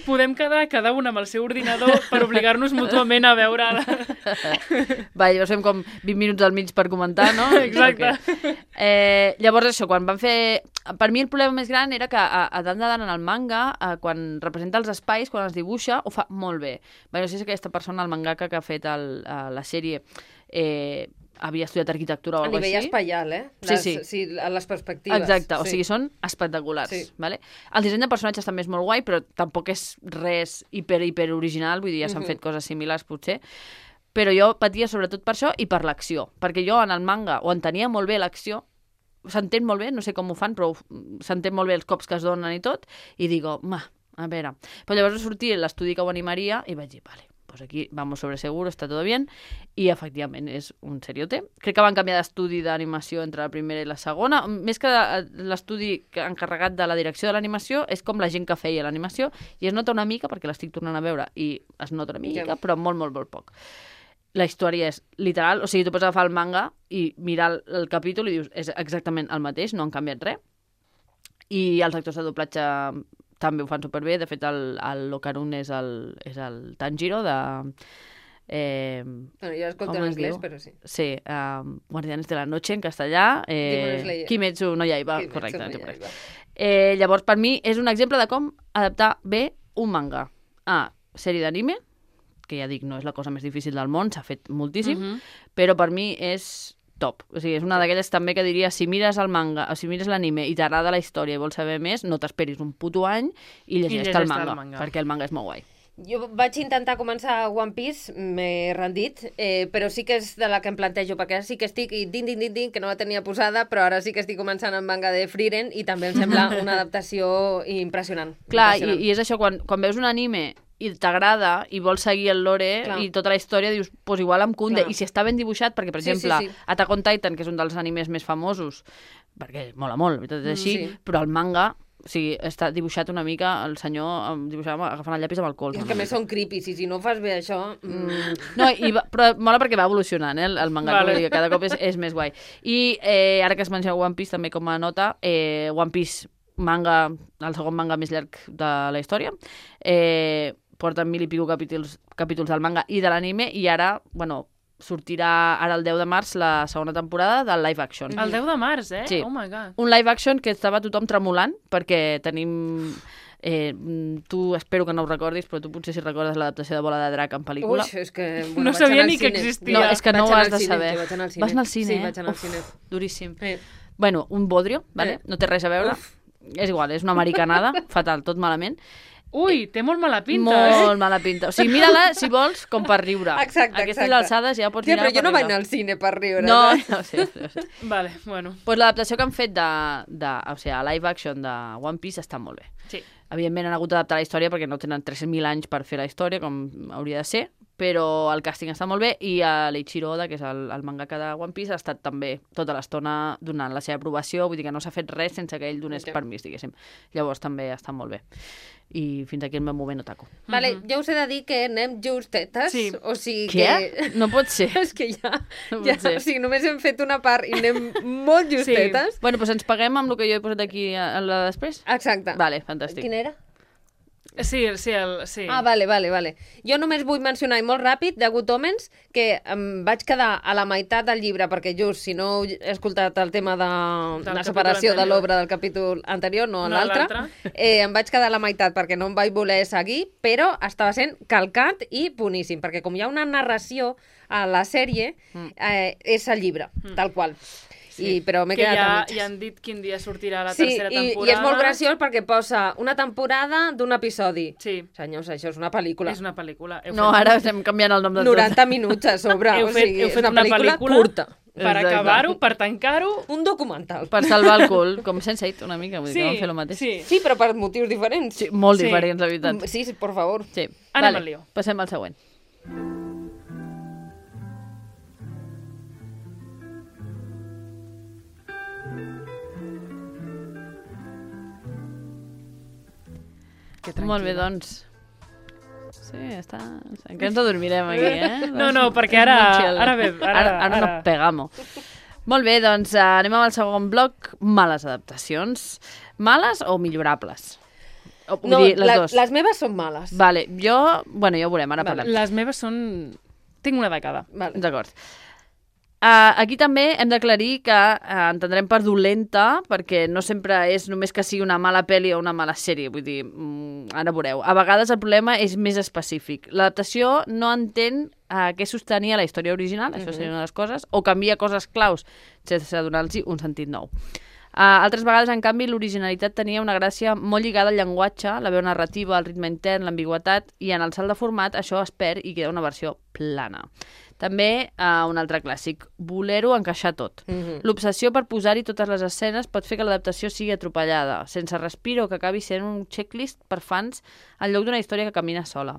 Podem quedar cada un amb el seu ordinador per obligar-nos mútuament a veure... Va, llavors fem com 20 minuts al mig per comentar, no? Exacte. Okay. Llavors això, quan van fer... Per mi el problema més gran era que a Dan de Dan en el manga, quan representa els espais, quan els dibuixa, ho fa molt bé. Bé, no sé si aquesta persona, el mangaka que ha fet la sèrie, havia estudiat arquitectura o A alguna nivell cosa així. espaial, Sí. A les perspectives. Exacte, o sigui, són espectaculars. Sí. Vale? El disseny de personatges també és molt guai, però tampoc és res hiper original, vull dir, ja s'han fet coses similars potser. Però jo patia sobretot per això i per l'acció, perquè jo en el manga ho entenia molt bé l'acció, s'entén molt bé, no sé com ho fan, però s'entén molt bé els cops que es donen i tot, i digo, a veure. Però llavors sortir l'estudi que ho animaria i vaig dir, vale, pues aquí vamos sobre seguro, está todo bien, i efectivament és un seriote. Crec que van canviar d'estudi d'animació entre la primera i la segona, més que l'estudi encarregat de la direcció de l'animació, és com la gent que feia l'animació, i es nota una mica, perquè l'estic tornant a veure, i es nota una mica, però molt, molt, molt poc. La història és literal, o sigui, tu pots agafar el manga i mirar el capítol i dius, és exactament el mateix, no han canviat res. I els actors de doblatge també ho fan superbé. De fet, el Locarun és el Tanjiro de... Bueno, jo escolto en anglès, però sí. Sí, Guardianes de la Noche en castellà, Demon Slayer. Kimetsu no Yaiba, Kimetsu correcte. no No Yaiba. llavors, per mi, és un exemple de com adaptar bé un manga a sèrie d'anime, que ja dic, no és la cosa més difícil del món, s'ha fet moltíssim, però per mi és top. O sigui, és una d'aquelles també que diria, si mires el manga, o si mires l'anime i t'agrada la història i vols saber més, no t'esperis un puto any i llegeix-te el manga, perquè el manga és molt guai. Jo vaig intentar començar One Piece, m'he rendit, però sí que és de la que em plantejo, perquè ara sí que estic, i din, que no la tenia posada, però ara sí que estic començant el manga de Frieren i també em sembla una adaptació impressionant. Clar, i és això, quan veus un anime i t'agrada i vols seguir el lore i tota la història, dius, pues igual em cunde. I si està ben dibuixat, perquè, per exemple, Attack on Titan, que és un dels animes més famosos, perquè mola molt, és així, però el manga, o sigui, està dibuixat una mica, el senyor dibuixava agafant el llapis amb el colze. És que més són creepy, i si no fas bé això... No, però mola perquè va evolucionant, el manga, vale. Cada cop és més guai. I ara que es menciona One Piece, també com a nota, One Piece manga, el segon manga més llarg de la història, porten 1000 i pico capítols del manga i de l'anime, i ara, bueno, sortirà ara el 10 de març la segona temporada del live action. El 10 de març, Sí. Oh my god. Un live action que estava tothom tremolant, perquè tenim... tu espero que no ho recordis, però tu potser si recordes l'adaptació de Bola de Drac en pel·lícula. Ui, és que... No sabia ni que existia. No, és que no ho has de saber. Vaig anar al cine. Vas anar al cine, Sí, vaig anar al cine. Duríssim. Bueno, un bodrio, vale? No té res a veure. És igual, és una americanada, fatal, tot malament. Ui, té molt mala pinta, Molt mala pinta. O sigui, mira-la, si vols, com per riure. Exacte, Aquestes alçades ja pots mirar però jo per no vaig riure. anar al cine per riure. No, saps? no sé. Vale, bueno. Pues l'adaptació que han fet o sigui, a live action de One Piece està molt bé. Sí. Evidentment han hagut d'adaptar la història perquè no tenen 300.000 anys per fer la història, com hauria de ser, però el càsting està molt bé i l'Eiichiro Oda, que és el mangaka de One Piece, ha estat també tota l'estona donant la seva aprovació, vull dir que no s'ha fet res sense que ell donés permís, diguéssim. Llavors també està molt bé. I fins aquí el meu moment otaku. Vale, jo us he de dir que anem justetes, o sigui Què? que... No pot ser. És que ja, No pot ser. o sigui, només hem fet una part i anem molt justetes. Bueno, doncs ens paguem amb el que jo he posat aquí a la de després? Exacte. Vale, fantàstic. Quin era? Sí. Ah, vale. Jo només vull mencionar, i molt ràpid, de Good Omens, que em vaig quedar a la meitat del llibre, perquè just, si no heu escoltat el tema de la separació de l'obra del capítol anterior, no l'altre, em vaig quedar a la meitat perquè no em vaig voler seguir, però estava sent calcat i boníssim, perquè com hi ha una narració a la sèrie, és el llibre, tal qual. Sí, però m'he quedat a mitges. Ja han dit quin dia sortirà la tercera temporada. I és molt graciós perquè posa una temporada d'un episodi. Sí. Senyors, això és una pel·lícula. És una pel·lícula. No, ara estem canviant el nom de tot. 90 minuts a sobre. Heu fet una pel·lícula curta. Per acabar-ho, per tancar-ho... Un documental. Per salvar el cul, com Sense8, una mica, vull dir que vam fer el mateix. Sí, però per motius diferents. Sí, molt diferents, la veritat. Sí, per favor. Sí. Anem al lío. Passem al següent. Molt bé, doncs. Sí, està... Que ens adormirem aquí, No, perquè ara no pegamo. Molt bé, doncs anem amb el segon bloc. Males adaptacions. Males o millorables? No, les meves són males. Vale, ja ho veurem, ara parlem. Les meves són... Tinc una de cada. Vale. D'acord. Aquí també hem d'aclarir que entendrem per dolenta, perquè no sempre és només que sigui una mala pel·li o una mala sèrie, vull dir, ara veureu. A vegades el problema és més específic. L'adaptació no entén què sostenia la història original, això seria una de les coses, o canvia coses claus sense donar-los un sentit nou. Altres vegades, en canvi, l'originalitat tenia una gràcia molt lligada al llenguatge, la veu narrativa, el ritme intern, l'ambigüitat, i en el salt de format això es perd i queda una versió plana. També un altre clàssic, voler-ho encaixar tot. L'obsessió per posar-hi totes les escenes pot fer que l'adaptació sigui atropellada, sense respir o que acabi sent un checklist per fans en lloc d'una història que camina sola.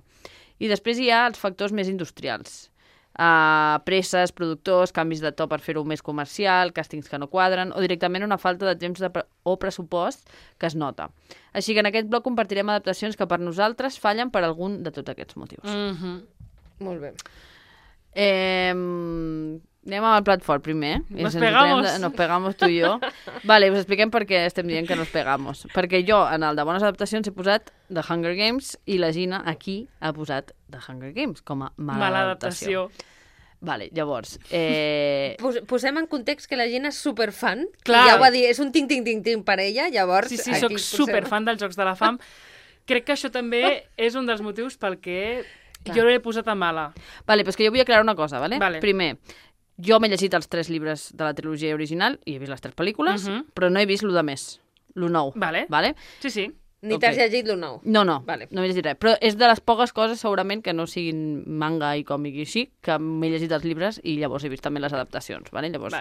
I després hi ha els factors més industrials. Presses, productors, canvis de to per fer-ho més comercial, càstings que no quadren, o directament una falta de temps o pressupost que es nota. Així que en aquest bloc compartirem adaptacions que per nosaltres fallen per algun de tots aquests motius. Molt bé. Anem amb el plat fort primer. Nos pegamos. Nos pegamos tu i jo. Vale, us expliquem per què estem dient que nos pegamos. Perquè jo, en el de bones adaptacions, he posat The Hunger Games i la Gina aquí ha posat The Hunger Games com a mala adaptació. Vale, llavors... Posem en context que la gent és superfan. Clar. Ja ho va dir, és un ting per ella, llavors... Sí, soc superfan dels Jocs de la Fam. Crec que això també és un dels motius pel que jo l'he posat a mala. Vale, però és que jo vull aclarar una cosa, vale? Vale. Primer, jo m'he llegit els 3 llibres de la trilogia original i he vist les 3 pel·lícules, però no he vist lo de més, lo nou. Vale. Vale? Sí. Ni t'has llegit lo nou? No. Vale. No m'he llegit res. Però és de les poques coses, segurament, que no siguin manga i còmic i així, que m'he llegit els llibres i llavors he vist també les adaptacions, vale? Llavors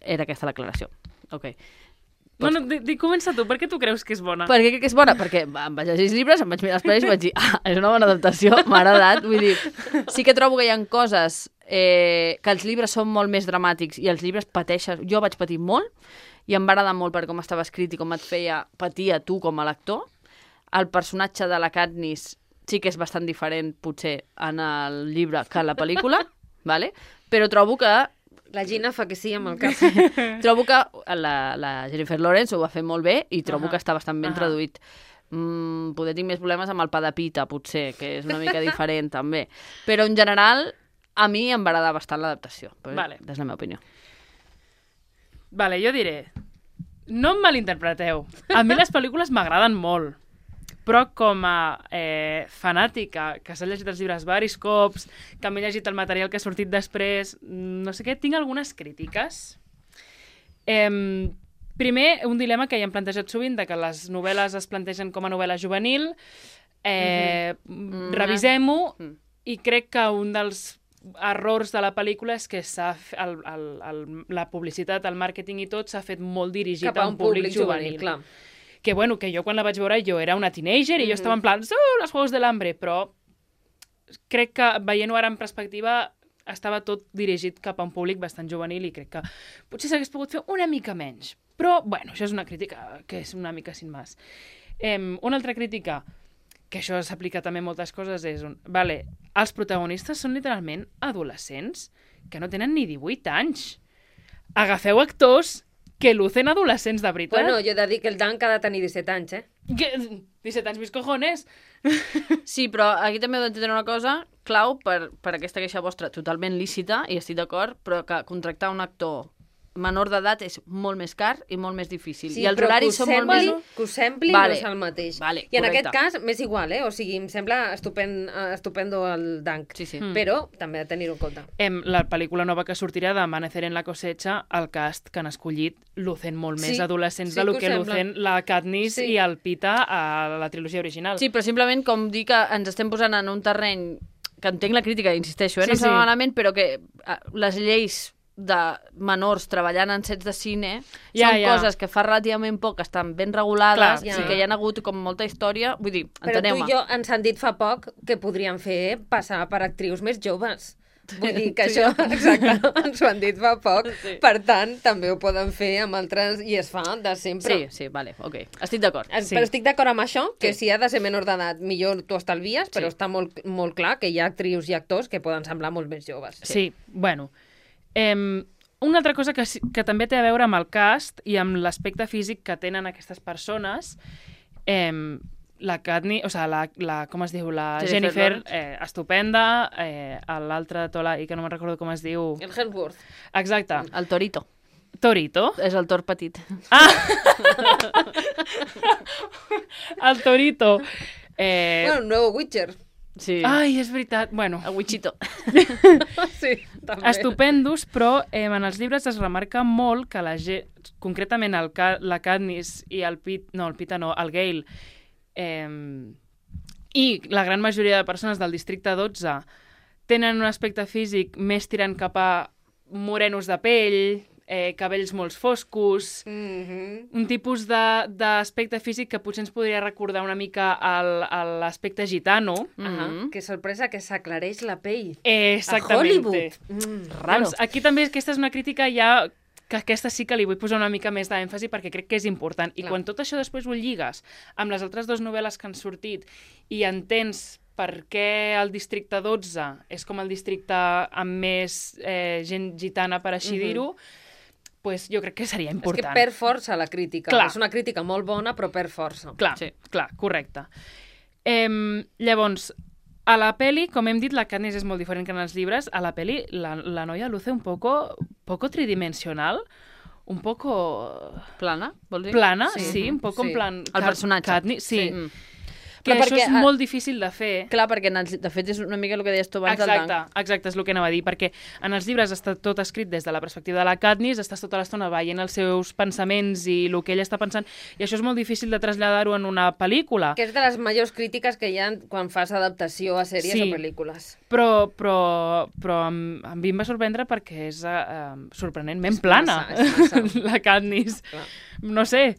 era aquesta l'aclaració. Ok. No, comença tu. Per què tu creus que és bona? Per què crec que és bona? Perquè em vaig llegir els llibres, em vaig mirar les pel·lis i vaig dir és una bona adaptació, m'ha agradat. Vull dir, sí que trobo que hi ha coses que els llibres són molt més dramàtics i els llibres pateixen. Jo vaig patir molt i em va agradar molt per com estava escrit i com et feia patir a tu com a lector. El personatge de la Katniss sí que és bastant diferent, potser, en el llibre que en la pel·lícula, vale? Però trobo que la Gina fa que sí amb el cap. Trobo que la Jennifer Lawrence ho va fer molt bé i trobo que està bastant ben traduït. Poder tinc més problemes amb el pa de pita, potser, que és una mica diferent, també. Però, en general, a mi em va agradar bastant l'adaptació. Vale. És la meva opinió. Vale, jo diré... No em malinterpreteu. A mi les pel·lícules m'agraden molt. Però com a fanàtica, que s'ha llegit els llibres varis cops, que m'he llegit el material que ha sortit després, no sé què, tinc algunes crítiques. Primer, un dilema que ja hem plantejat sovint, de que les novel·les es plantegen com a novel·la juvenil, revisem-ho, i crec que un dels errors de la pel·lícula és que la publicitat, el màrqueting i tot s'ha fet molt dirigit a un públic juvenil. Clar. Que bueno, que jo quan la vaig veure jo era una teenager i jo estava en plan, los Juegos del Hambre, però crec que veient-ho ara en perspectiva estava tot dirigit cap a un públic bastant juvenil i crec que potser s'hagués pogut fer una mica menys. Però, bueno, això és una crítica que és una mica sin más. Una altra crítica, que això s'aplica també a moltes coses, és vale, els protagonistes són literalment adolescents que no tenen ni 18 anys. Agafeu actors que lucen adolescents de veritat. Bueno, jo he de dir que el Dunk ha de tenir 17 anys, eh? 17 anys, mis cojones. Sí, però aquí també heu d'entendre una cosa clau per aquesta queixa vostra totalment lícita, i estic d'acord, però que contractar un actor menor d'edat és molt més car i molt més difícil. Sí, I els horaris són molt més... Que ho sembli Vale. no és el mateix. Vale, I en correcte. aquest cas m'és igual, eh? O sigui, em sembla estupendo el Dunk. Sí. Però també ha de tenir-ho en compte. La pel·lícula nova que sortirà d'Amanecer en la cosecha, el cast que han escollit lucen molt més Sí, adolescents sí de lo que que ho sembla. lucen la Katniss Sí. i el Pita a la trilogia original. Sí, però simplement com dir que ens estem posant en un terreny que entenc la crítica, insisteixo, no Sí, sembla sí. malament, però que les lleis de menors treballant en sets de cine són coses que fa relativament poc estan ben regulades. Clar, i que hi ha hagut com molta història. Vull dir, Però tu enteneu-me. i jo ens han dit fa poc que podrien fer passar per actrius més joves. Vull dir que això, exacte, ens ho han dit fa poc. Sí. Per tant, també ho poden fer amb altres, i es fa de sempre. Sí, vale, ok. Estic d'acord. Sí. Sí. Però estic d'acord amb això, que Sí. si ha de ser menor d'edat, millor t'ho estalvies, però Sí. està molt clar que hi ha actrius i actors que poden semblar molt més joves. Sí, bueno. Una altra cosa que també té a veure amb el cast i amb l'aspecte físic que tenen aquestes persones, la Katniss, o sigui, la com es diu? La Jennifer Jennifer, estupenda, l'altre Tola, i que no me'n recordo com es diu. El Hemsworth. Exacte. El Torito. Torito. És el Tor petit. El Torito. Bueno, un nuevo Witcher. Sí. Ai, és veritat. Bueno, El Wichito. Sí, també. estupendos, però en els llibres es remarca molt que concretament la Katniss i el Pita no, el Gale, i la gran majoria de persones del districte 12 tenen un aspecte físic més tirant cap a morenos de pell, cabells molt foscos, un tipus d'aspecte físic que potser ens podria recordar una mica a l'aspecte gitano. Que sorpresa que s'aclareix la pell. Exactament. A Hollywood. Raro. Doncs aquí també aquesta és una crítica ja que aquesta sí que li vull posar una mica més d'èmfasi perquè crec que és important. I Clar. quan tot això després ho lligues amb les altres dues novel·les que han sortit i entens per què el districte 12 és com el districte amb més gent gitana, per així dir-ho, pues jo crec que seria És important. que per força la crítica. Clar. És una crítica molt bona, però per força. Clar, Sí. clar, correcte. Llavors, a la peli, com hem dit, la Katniss és molt diferent que en els llibres. A la peli, la noia luce un poco tridimensional, un poco Plana, vols dir? plana, Sí. sí, un poco Sí. en plan... El personatge. Katniss, sí. Mm. Que Però això perquè, és molt difícil de fer. Clar, perquè de fet és una mica el que deies tu abans del Dunk. Exacte, és el que anava a dir, perquè en els llibres està tot escrit des de la perspectiva de la Katniss, estàs tota l'estona veient els seus pensaments i el que ella està pensant, i això és molt difícil de traslladar-ho en una pel·lícula. Que és de les majors crítiques que hi ha quan fas adaptació a sèries Sí. o pel·lícules. Però a mi em va sorprendre perquè és sorprenentment És plana, massa, és massa. la Katniss. Clar. No sé,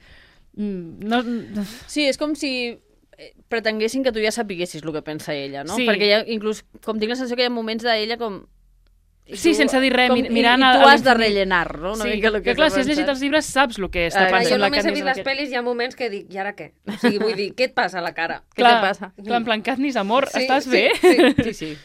no... Sí, és com si pretenguessin que tu ja sapiguessis el que pensa ella, no? Sí. Perquè hi ha, inclús, com tinc la sensació que hi ha moments d'ella com... i Sí, tu- sense dir res, com- mirant i a tu has de l'infinit. rellenar, no? Una Sí, mica el que clar, s'ha si has llegit pensat. els llibres saps el que està Clar, pensant Jo la només he Katniss. vist en les aquest- pel·lis, hi ha moments que dic, i ara què? O sigui, vull dir, què et passa a la cara? Què te passa? Clar, en plan, Katniss, amor, Sí, estàs sí, bé? sí. Sí, sí.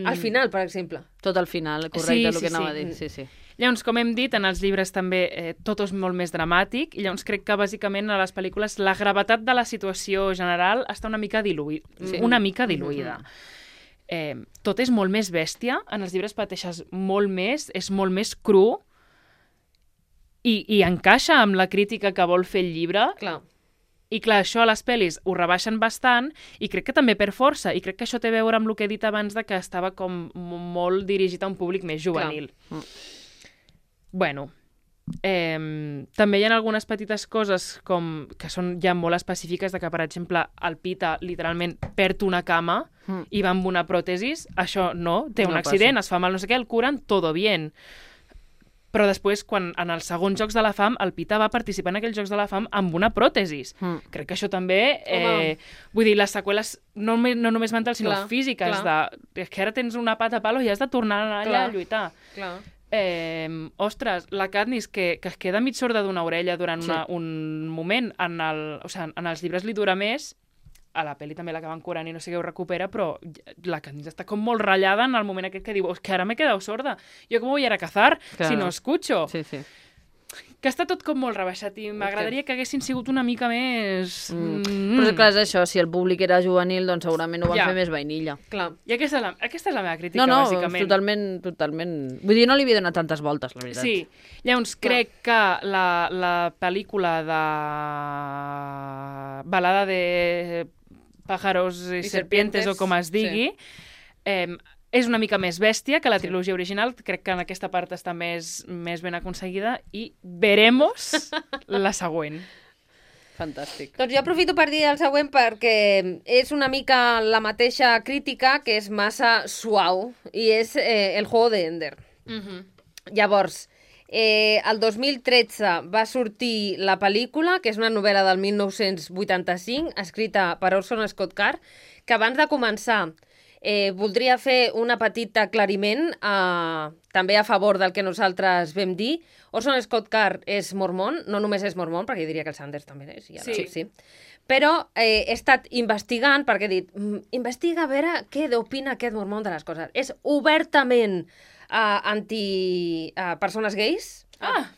Al final, per exemple. Tot al final, correcte, Sí, el sí, que anava a sí. dir. Sí, sí. Llavors, com hem dit, en els llibres també tot és molt més dramàtic, i llavors crec que bàsicament a les pel·lícules la gravetat de la situació general està una mica diluïda. Sí. Una mica diluïda. Tot és molt més bèstia, en els llibres pateixes molt més, és molt més cru, i encaixa amb la crítica que vol fer el llibre. Clar. I clar, això a les pel·lis ho rebaixen bastant, i crec que també per força, i crec que això té a veure amb el que he dit abans de que estava com molt dirigit a un públic més juvenil. Bueno, també hi ha algunes petites coses com que són ja molt específiques de que, per exemple, el Pita literalment perd una cama i va amb una pròtesis. Això no, té un No accident, es fa mal no sé què, el curen, todo bien. Però després, quan en els segons Jocs de la Fam, el Pita va participar en aquells Jocs de la Fam amb una pròtesis. Crec que això també... vull dir, les seqüeles no només mentals, sinó físiques. És que ara tens una pata a palo i has de tornar allà a lluitar. Clar. Ostres, la Katniss, que es queda mig sorda d'una orella durant un moment, en els llibres li dura més, a la pel·li també l'acaben curant i no sé què ho recupera, però la Katniss està com molt ratllada en el moment aquest que diu que ara m'he quedat sorda. Jo com voy a ir a cazar si no escucho? Sí, sí. Que està tot com molt rebaixat i m'agradaria que haguessin sigut una mica més... Però clar, és això, si el públic era juvenil, doncs segurament ho van fer més vainilla. Clar. I aquesta és la meva crítica, bàsicament. Totalment. Vull dir, no li havia donat tantes voltes, la veritat. Sí. Llavors, crec que la pel·lícula de Balada de pájaros i serpientes, o com es digui, és una mica més bèstia que la trilogia original. Crec que en aquesta part està més ben aconseguida i veremos la següent. Fantàstic. Doncs jo aprofito per dir el següent perquè és una mica la mateixa crítica, que és massa suau, i és El juego de Ender. Llavors, el 2013 va sortir la pel·lícula, que és una novel·la del 1985, escrita per Orson Scott Card, que abans de començar voldria fer un petit aclariment també a favor del que nosaltres vam dir. Orson Scott Card és mormon, no només és mormon, perquè jo diria que el Sanders també és. Sí. Però he estat investigant, perquè he dit, investiga a veure què opina aquest mormon de les coses. És obertament anti-persones gais,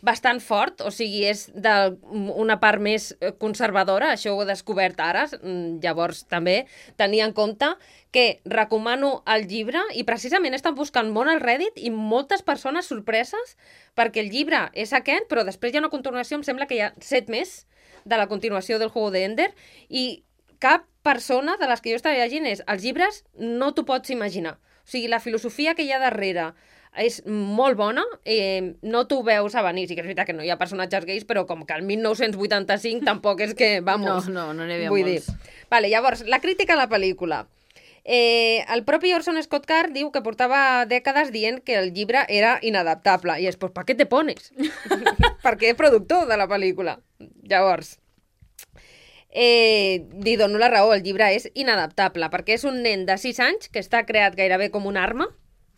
bastant fort, o sigui, és d'una part més conservadora, això ho he descobert ara, llavors també tenia en compte que recomano el llibre i precisament estan buscant molt al Reddit i moltes persones sorpreses perquè el llibre és aquest, però després hi ha una continuació, em sembla que hi ha 7 més de la continuació del Juego de Ender i cap persona de les que jo estava llegint és els llibres no t'ho pots imaginar. O sigui, la filosofia que hi ha darrere és molt bona, no t'ho veus a venir. Sí que és veritat que no hi ha personatges gais, però com que el 1985 tampoc és que, vamos... No n'hi havia molts. Vale, llavors, la crítica a la pel·lícula. El propi Orson Scott Card diu que portava dècades dient que el llibre era inadaptable. I és, pues, ¿pa qué te pones? Perquè és productor de la pel·lícula. Llavors... li dono la raó, el llibre és inadaptable, perquè és un nen de 6 anys que està creat gairebé com una arma.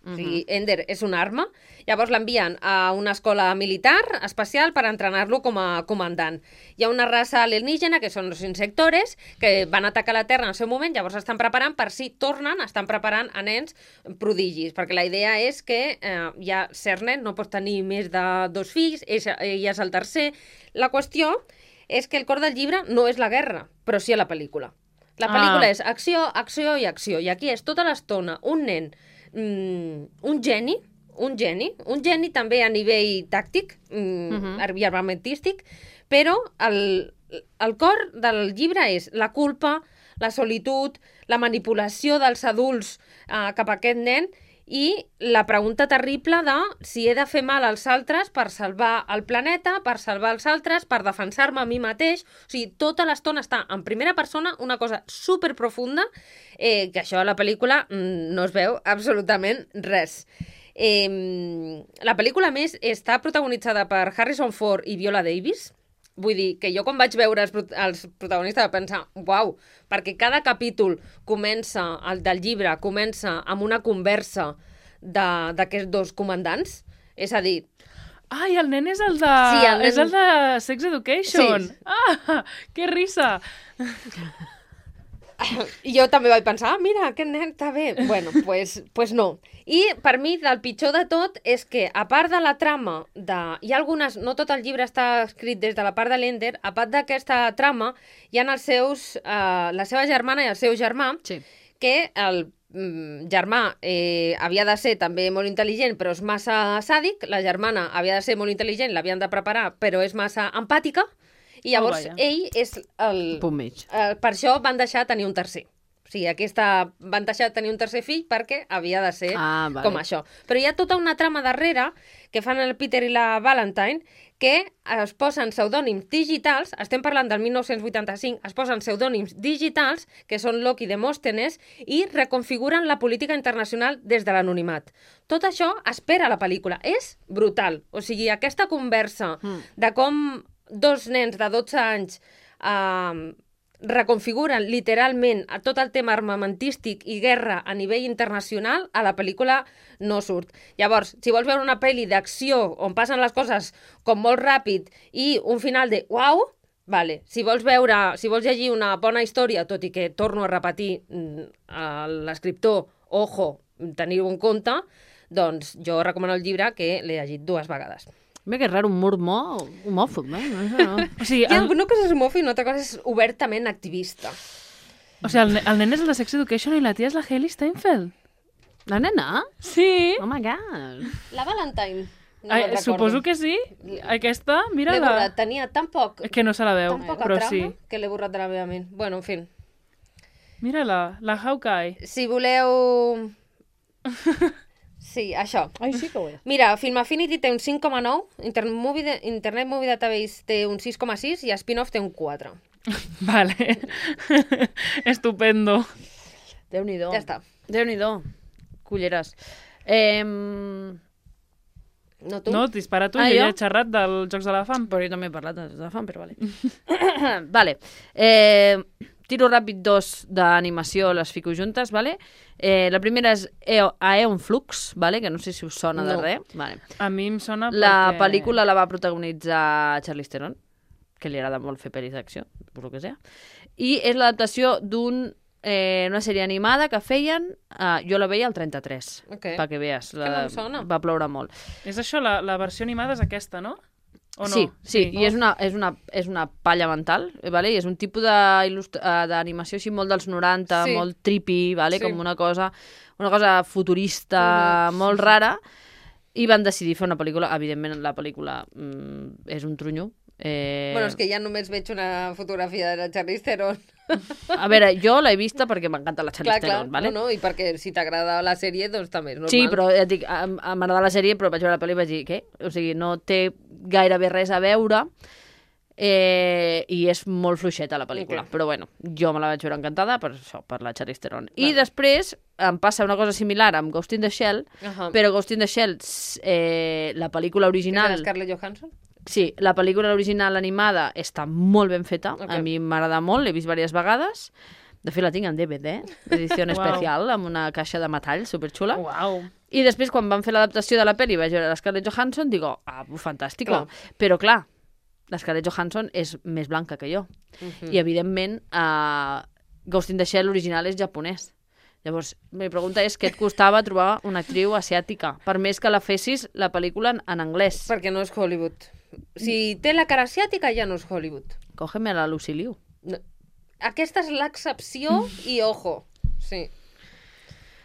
O sigui, Ender és una arma. Llavors l'envien a una escola militar especial per entrenar-lo com a comandant. Hi ha una raça alienígena, que són els insectores, que van atacar la Terra en el seu moment, llavors estan preparant per si tornen, estan preparant a nens prodigis, perquè la idea és que ja cert nen no pot tenir més de 2 fills, ell és el tercer. La qüestió és que el cor del llibre no és la guerra, però sí a la pel·lícula. La pel·lícula és acció, acció i acció, i aquí és tota l'estona un nen, un geni també a nivell tàctic i armamentístic, però el cor del llibre és la culpa, la solitud, la manipulació dels adults cap a aquest nen i la pregunta terrible de si he de fer mal als altres per salvar el planeta, per salvar els altres, per defensar-me a mi mateix. O sigui, tota l'estona està en primera persona, una cosa superprofunda, que això a la pel·lícula no es veu absolutament res. La pel·lícula, a més, està protagonitzada per Harrison Ford i Viola Davis. Vull dir que jo quan vaig veure els protagonistes vaig pensar, uau, perquè cada capítol el del llibre comença amb una conversa d'aquests dos comandants, és a dir... Ai, el nen és el de, és el de Sex Education! Sí. Ah, que risa! I jo també vaig pensar, mira, aquest nen està bé. Bueno, pues no. I per mi, el pitjor de tot és que, a part de la trama, hi ha algunes... No tot el llibre està escrit des de la part de l'Ender, a part d'aquesta trama, hi ha la seva germana i el seu germà, sí, que el germà havia de ser també molt intel·ligent, però és massa sàdic, la germana havia de ser molt intel·ligent, l'havien de preparar, però és massa empàtica, i llavors ell és el... punt mig. Per això van deixar tenir un tercer. O sigui, aquesta van deixar de tenir un tercer fill perquè havia de ser Vale. com això. Però hi ha tota una trama darrere que fan el Peter i la Valentine que es posen pseudònims digitals, estem parlant del 1985, es posen pseudònims digitals, que són Locke i Demòstenes, i reconfiguren la política internacional des de l'anonimat. Tot això espera la pel·lícula. És brutal. O sigui, aquesta conversa de com dos nens de 12 anys reconfiguren literalment a tot el tema armamentístic i guerra a nivell internacional, a la pel·lícula no surt. Llavors, si vols veure una pel·li d'acció on passen les coses com molt ràpid i un final de uau, vale. Si vols llegir una bona història, tot i que torno a repetir l'escriptor, ojo, teniu en compte, doncs jo recomano el llibre que l'he llegit 2 vegades. Mira que raro, un mur homòfob, eh? No. O sigui, Una cosa és homòfob i una altra cosa és obertament activista. O sigui, el nen és el de Sex Education i la tia és la Hailey Steinfeld. La nena? Sí. Oh my god. La Valentine. No me'n recordo. Suposo que sí. Aquesta, L'he mira-la. borrat, tenia tan poc... Que no se la veu, Tan poca però trama sí. que l'he borrat de la meva ment. Bueno, en fi. Mira-la, la Hawkeye. Si voleu... Sí, això. Ai, sí que ho és. Mira, Film Affinity té un 5,9, Internet Movie Database té un 6,6 i Spin-off té un 4. Vale. Estupendo. Déu-n'hi-do. Ja està. Déu-n'hi-do. Culleres. No tu? No, dispara tu, Ah, jo ja jo? he xerrat dels Jocs de la Fam. Però jo també he parlat de fam, però vale. Vale. Tiro ràpid 2 d'animació, les fico juntes, vale? La primera és Aeon Flux, vale? Que no sé si us sona de No. res. Vale. A mi em sona La perquè... pel·lícula la va protagonitzar Charlize Theron, que li agrada molt fer pel·lis d'acció, per lo que sea. I és l'adaptació una sèrie animada que feien, jo la veia al 33, Ok. perquè veus. que no em sona. Va ploure molt. És això, la versió animada és aquesta, no? O no? Sí, i és una palla mental, vale? I és un tipus d'animació així molt dels 90, Sí. molt trippy, vale? Sí. Com una cosa futurista, molt rara, i van decidir fer una pel·lícula. Evidentment, la pel·lícula és un trunyo. Bueno, és que ja només veig una fotografia de la Charlize Theron. A veure, jo l'he vista perquè m'encanta la Charlize Clar, Theron, vale? no, i perquè si t'agrada la sèrie, doncs també és normal. Sí, però ja et dic, m'agrada la sèrie, però vaig veure la pel·li i vaig dir, què? O sigui, no té gairebé res a veure i és molt fluixeta la pel·lícula. Ok. Però bueno, jo me la vaig veure encantada per això, per la Charlize Theron. I després em passa una cosa similar amb Ghost in the Shell, però Ghost in the Shell, la pel·lícula original... És de Scarlett Johansson? Sí, la pel·lícula original animada està molt ben feta, Ok. a mi m'agrada molt, l'he vist diverses vegades. De fet, la tinc en DVD, edició Uau. especial, amb una caixa de metall superxula. Uau. I després, quan van fer l'adaptació de la pel·li, vaig veure la Scarlett Johansson, digo, fantàstic. Però clar, la Scarlett Johansson és més blanca que jo. I, evidentment, Ghost in the Shell original és japonès. Llavors, la pregunta és què et costava trobar una actriu asiàtica, per més que la fessis la pel·lícula en anglès. Perquè no és Hollywood. Si té la cara asiàtica, ja no és Hollywood. Cógeme a la Lucy Liu. No. Aquesta és l'excepció i ojo. Sí.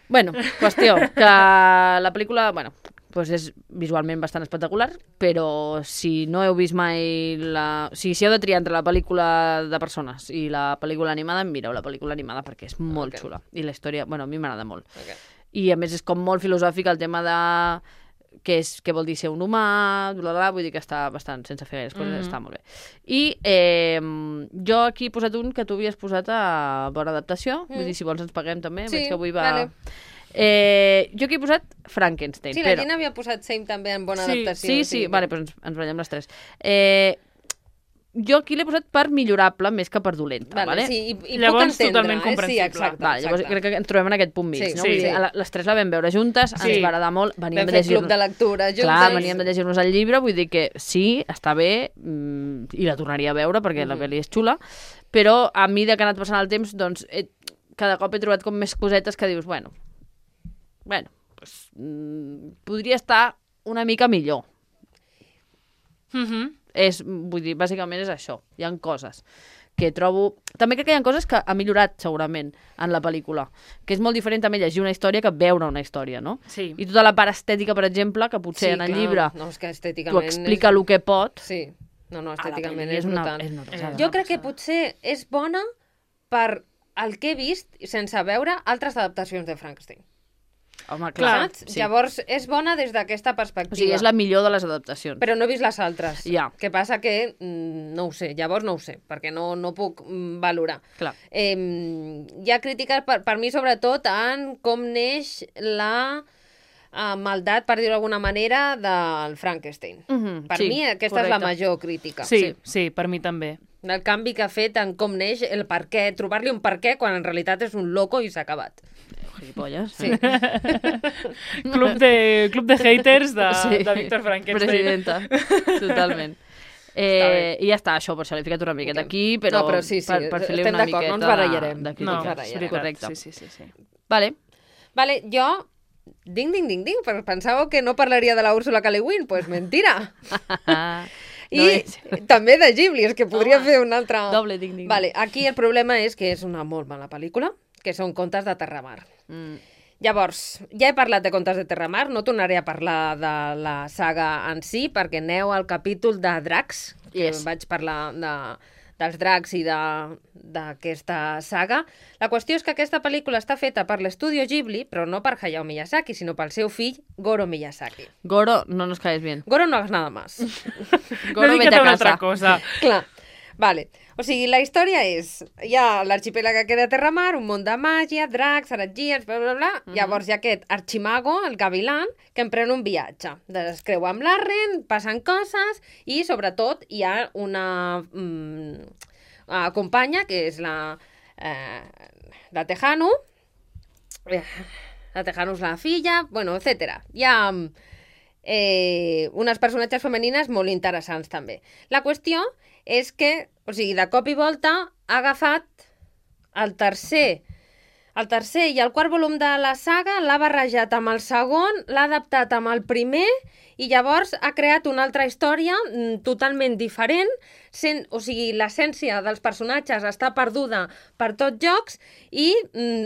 Bueno, qüestió, que la pel·lícula, bueno, pues és visualment bastant espectacular, però si no heu vist mai o sigui, si heu de triar entre la pel·lícula de persones i la pel·lícula animada, mireu la pel·lícula animada perquè és molt xula. I la història, bueno, a mi m'agrada molt. Okay. I a més és com molt filosòfic el tema de què vol dir ser un humà, vull dir que està bastant, sense fer gaires coses, està molt bé. I jo aquí he posat un que tu havies posat a bona adaptació, vull dir, si vols ens paguem també, Sí, veig que avui va... vale. Jo aquí he posat Frankenstein, Sí, la però... Gina havia posat Same també en bona Sí, adaptació. Sí, vale, doncs ens ballem les tres. Jo aquí l'he posat per millorable més que per dolenta, vale? Sí, i Llavors, puc entendre. totalment comprensible. Sí, exacte. Vale, llavors crec que ens trobem en aquest punt mig, Sí, no? sí, Vull dir, sí. les tres la vam veure juntes, ens va agradar molt, Vam fer club de lectura juntes. Clar, veníem de llegir-nos el llibre, vull dir que sí, està bé, i la tornaria a veure perquè la pel·li és xula, però a mi, que ha anat passant el temps, doncs, cada cop he trobat com més cosetes que dius, bueno, pues, podria estar una mica millor. Vull dir, bàsicament és això. Hi ha coses que trobo... També crec que hi ha coses que ha millorat, segurament, en la pel·lícula. Que és molt diferent també llegir una història que veure una història, no? Sí. I tota la part estètica, per exemple, que potser Sí, en el clar. llibre No, és que t'ho estèticament... explica el que pot. Sí. No, a la estèticament pel·li és brutal. és una passada, Jo una crec que passada. potser és bona per el que he vist sense veure altres adaptacions de Frankenstein. Home, clar. Saps? Sí. Llavors, és bona des d'aquesta perspectiva. O sigui, és la millor de les adaptacions. Però no he vist les altres. Ja. Que passa que no ho sé, llavors no ho sé, perquè no puc valorar. Clar. Hi ha crítiques, per mi, sobretot, en com neix la maldat, per dir-ho d'alguna manera, del Frankenstein. Per mi, aquesta és la major crítica. Sí, per mi també. El canvi que ha fet en com neix, el per què, trobar-li un per què, quan en realitat és un loco i s'ha acabat. Gilipolles. Sí. Club de haters de Víctor Frankenstein. Presidenta, totalment. I ja està, això, per això l'he ficat una miqueta aquí, però, però sí, per fer-li estem una d'acord, miqueta no ens barallarem. de crítica. No, és veritat. Correcte. Sí. Vale, jo... Ding, perquè pensàveu que no parlaria de la Úrsula K. Le Guin? Pues mentira. I també de Ghibli, és que podria fer una altra... Doble ding. Vale, aquí el problema és que és una molt mala pel·lícula, que són contes de Terramar. Llavors, ja he parlat de contes de Terramar, no tornaré a parlar de la saga en si, perquè aneu al capítol de dracs, que vaig parlar dels dracs i d'aquesta saga. La qüestió és que aquesta pel·lícula està feta per l'estudio Ghibli, però no per Hayao Miyazaki, sinó pel seu fill, Goro Miyazaki. Goro, no nos caes bien. Goro no hagas nada más. Goro, dedica't a una altra cosa. Clar, vale. O sigui, la història és, hi ha l'arxipèlag que queda a Terramar, un món de màgia, dracs, heretgies, bla, bla, bla. Llavors hi ha aquest arximago, el gavilan, que emprèn un viatge. Es creu amb l'Arren, passen coses, i sobretot hi ha una companya, que és la Tejano. La Tejano és la filla, bueno, etc. Hi ha unes personatges femenines molt interessants, també. La qüestió és que, o sigui, de cop i volta ha agafat el tercer i el quart volum de la saga, l'ha barrejat amb el segon, l'ha adaptat amb el primer i llavors ha creat una altra història totalment diferent, o sigui, l'essència dels personatges està perduda per tots jocs i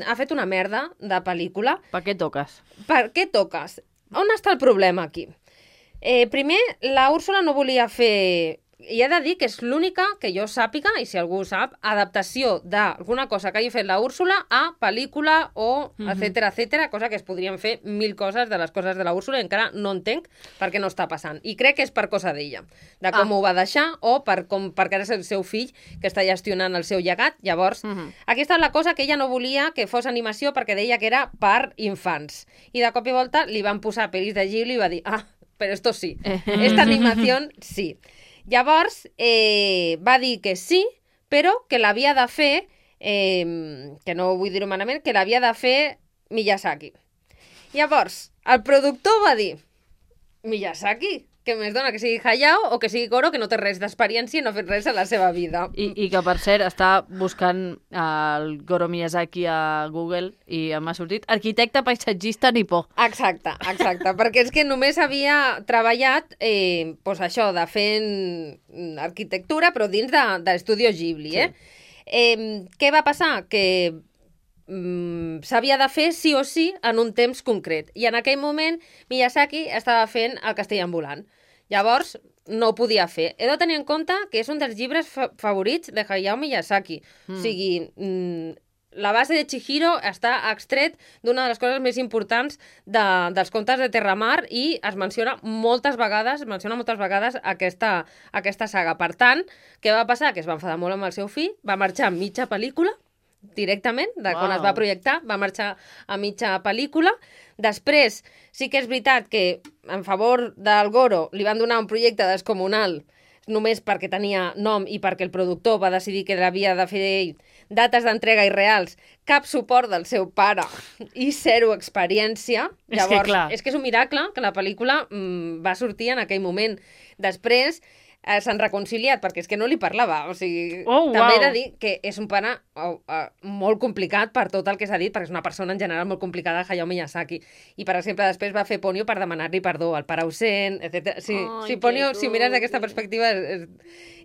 ha fet una merda de pel·lícula. Per què toques? Per què toques? On està el problema aquí? Primer, la Úrsula no volia fer... I he de dir que és l'única que jo sàpiga, i si algú sap, adaptació d'alguna cosa que hagi fet la Úrsula a pel·lícula o etcètera, cosa que es podrien fer 1000 coses de les coses de la Úrsula i encara no entenc per què no està passant. I crec que és per cosa d'ella, de com ho va deixar o perquè és el seu fill que està gestionant el seu llegat. Llavors, aquesta és la cosa que ella no volia que fos animació perquè deia que era per infants. I de cop i volta li van posar pel·lis de Ghibli i va dir, però esto sí, esta animación sí. Llavors, va dir que sí, però que l'havia de fer, que no vull dir-ho malament, que l'havia de fer Miyazaki. Llavors, el productor va dir, Miyazaki, què més dona, que sigui Hayao o que sigui Goro, que no té res d'experiència i no ha fet res a la seva vida. I que, per cert, està buscant el Goro Miyazaki a Google i m'ha sortit arquitecte paisatgista nipó. Exacte, perquè és que només havia treballat doncs això, de fent arquitectura, però dins d'Estudio Ghibli. Què va passar? Que s'havia de fer sí o sí en un temps concret. I en aquell moment Miyazaki estava fent el Castell ambulant. Llavors no ho podia fer. He de tenir en compte que és un dels llibres favorits de Hayao Miyazaki. O sigui, la base de Chihiro està extret d'una de les coses més importants dels contes de Terramar i es menciona moltes vegades aquesta saga. Per tant, què va passar? Que es va enfadar molt amb el seu fill, va marxar a mitja pel·lícula, directament, quan es va projectar, va marxar a mitja pel·lícula. Després, sí que és veritat que en favor del Goro li van donar un projecte descomunal només perquè tenia nom i perquè el productor va decidir que l'havia de fer ell, dates d'entrega irreals, cap suport del seu pare i zero experiència. Llavors, és que és un miracle que la pel·lícula va sortir en aquell moment. Després s'han reconciliat, perquè és que no li parlava. O sigui, també he de dir que és un pare molt complicat per tot el que s'ha dit, perquè és una persona en general molt complicada, Hayao Miyazaki. I, per exemple, després va fer Ponyo per demanar-li perdó al pare ausent, etc. Sí, Ponyo, si mires d'aquesta perspectiva...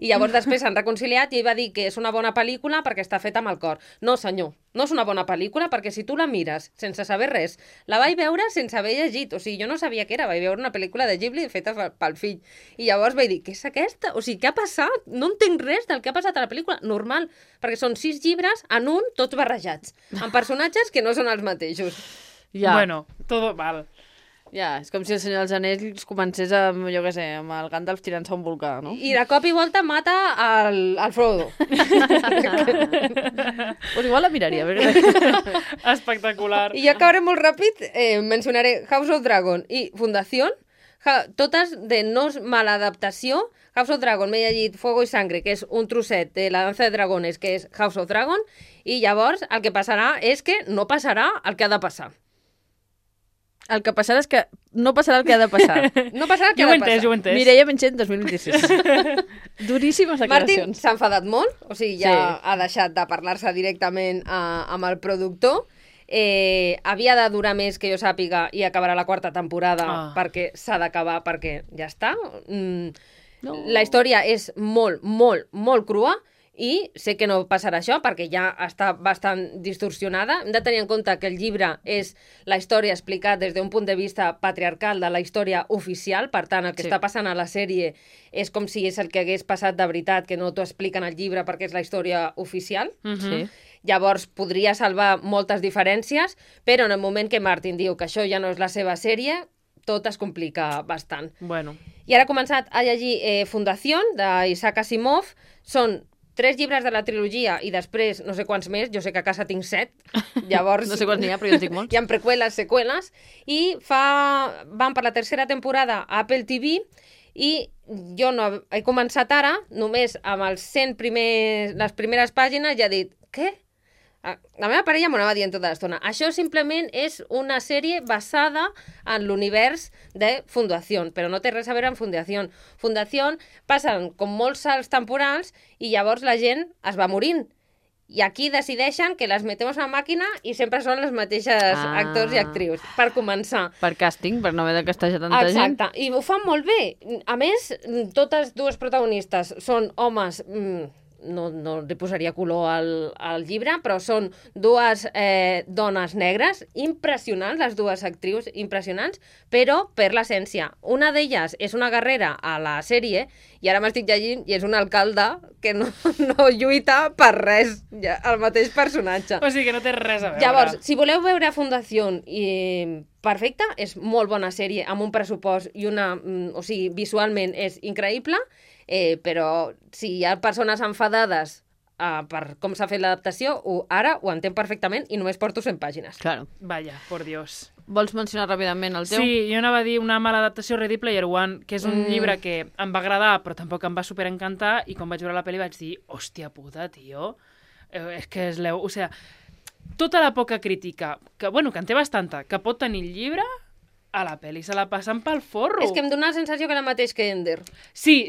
I llavors després s'han reconciliat i ell va dir que és una bona pel·lícula perquè està feta amb el cor. No, senyor, no és una bona pel·lícula perquè si tu la mires sense saber res, la vaig veure sense haver llegit. O sigui, jo no sabia què era, vaig veure una pel·lícula de Ghibli feta pel fill. I llavors vaig dir, què és aquest? O sigui, què ha passat? No entenc res del que ha passat a la pel·lícula. Normal, perquè són 6 llibres en un, tots barrejats, amb personatges que no són els mateixos. Ja. Bueno, todo mal. Ja, és com si el Senyor dels Anells comencés amb, jo què sé, amb el Gandalf tirant-se a un volcà, no? I de cop i volta mata el Frodo. Pues igual la miraria. Espectacular. I ja acabaré molt ràpid, mencionaré House of Dragon i Fundación, totes de no mala adaptació. House of Dragon, m'he llegit Fuego y Sangre, que és un trosset de La danza de dragones, que és House of Dragon, i llavors el que passarà és que no passarà el que ha de passar. El que passarà és que no passarà el que ha de passar. No passarà el que ha de passar. Jo ho he entès. Mireia Menchent, 2026. Duríssimes Martin declaracions. s'ha enfadat molt, o sigui, ja Sí. ha deixat de parlar-se directament amb el productor. Havia de durar més, que jo sàpiga, i acabarà la 4ª temporada perquè s'ha d'acabar, perquè ja està. No. La història és molt, molt, molt crua i sé que no passarà això perquè ja està bastant distorsionada. Hem de tenir en compte que el llibre és la història explicat des d'un punt de vista patriarcal de la història oficial, per tant, el que està passant a la sèrie és com si és el que hagués passat de veritat, que no t'ho expliquen al llibre perquè és la història oficial. Sí. Llavors podria salvar moltes diferències, però en el moment que Martin diu que això ja no és la seva sèrie, tot es complica bastant. Bueno. I ara he començat a llegir Fundación, d'Isaac Asimov. Són 3 llibres de la trilogia i després no sé quants més, jo sé que a casa tinc 7, llavors... No sé quants n'hi ha, però jo en tinc molts. Hi ha preqüeles, seqüeles, i van per la 3ª temporada a Apple TV i jo no he començat ara, només amb els 100 les primeres pàgines ja he dit, què? La meva parella m'ho anava dient tota l'estona. Això simplement és una sèrie basada en l'univers de Fundación, però no té res a veure amb Fundación. Fundación passen com molts salts temporals i llavors la gent es va morint. I aquí decideixen que les metem a una màquina i sempre són les mateixes actors i actrius, per començar. Per càsting, per no haver de castejar tanta gent. Exacte, i ho fan molt bé. A més, totes dues protagonistes són homes... no li posaria color al llibre, però són dues dones negres, impressionants, les dues actrius impressionants, però per l'essència. Una d'elles és una guerrera a la sèrie, i ara m'estic llegint, i és un alcalde que no lluita per res, ja, el mateix personatge. O sigui que no té res a veure. Llavors, si voleu veure Fundación perfecta, és molt bona sèrie, amb un pressupost i o sigui, visualment és increïble, però si hi ha persones enfadades per com s'ha fet l'adaptació, ara ho entenc perfectament i només porto 100 pàgines. Claro. Vaya, por Dios. Vols mencionar ràpidament el teu? Sí, jo anava a dir una mala adaptació, Ready Player One, que és un llibre que em va agradar, però tampoc em va superencantar, i quan vaig veure la pel·li vaig dir, hòstia puta, tio, és que o sigui, tota la poca crítica, que en té bastanta, que pot tenir el llibre, a la pel·li se la passen pel forro. És que em dona la sensació que és el mateix que Ender. Sí,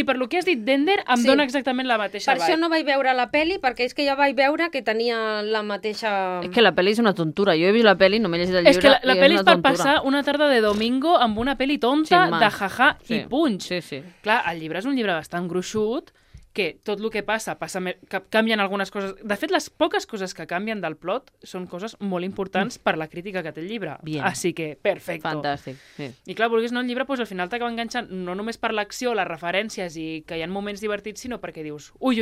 per lo que has dit d'Ender, em dona exactament la mateixa vibe. Per això no vaig veure la pel·li, perquè és que ja vaig veure que tenia la mateixa... És que la pel·li és una tontura. Jo he vist la pel·li, no m'he llegit el llibre, és que la pel·li és per tontura. passar una tarda de domingo amb una pel·li tonta, de jaja i punx. Sí. Clar, el llibre és un llibre bastant gruixut, que tot el que passa que canvien algunes coses. De fet, les poques coses que canvien del plot són coses molt importants per la crítica que té el llibre. Bien. Així que, perfecto. Fantàstic, sí. I clar, vulguis no, el llibre al final t'acaba enganxant no només per l'acció, les referències i que hi ha moments divertits, sinó perquè dius, ui,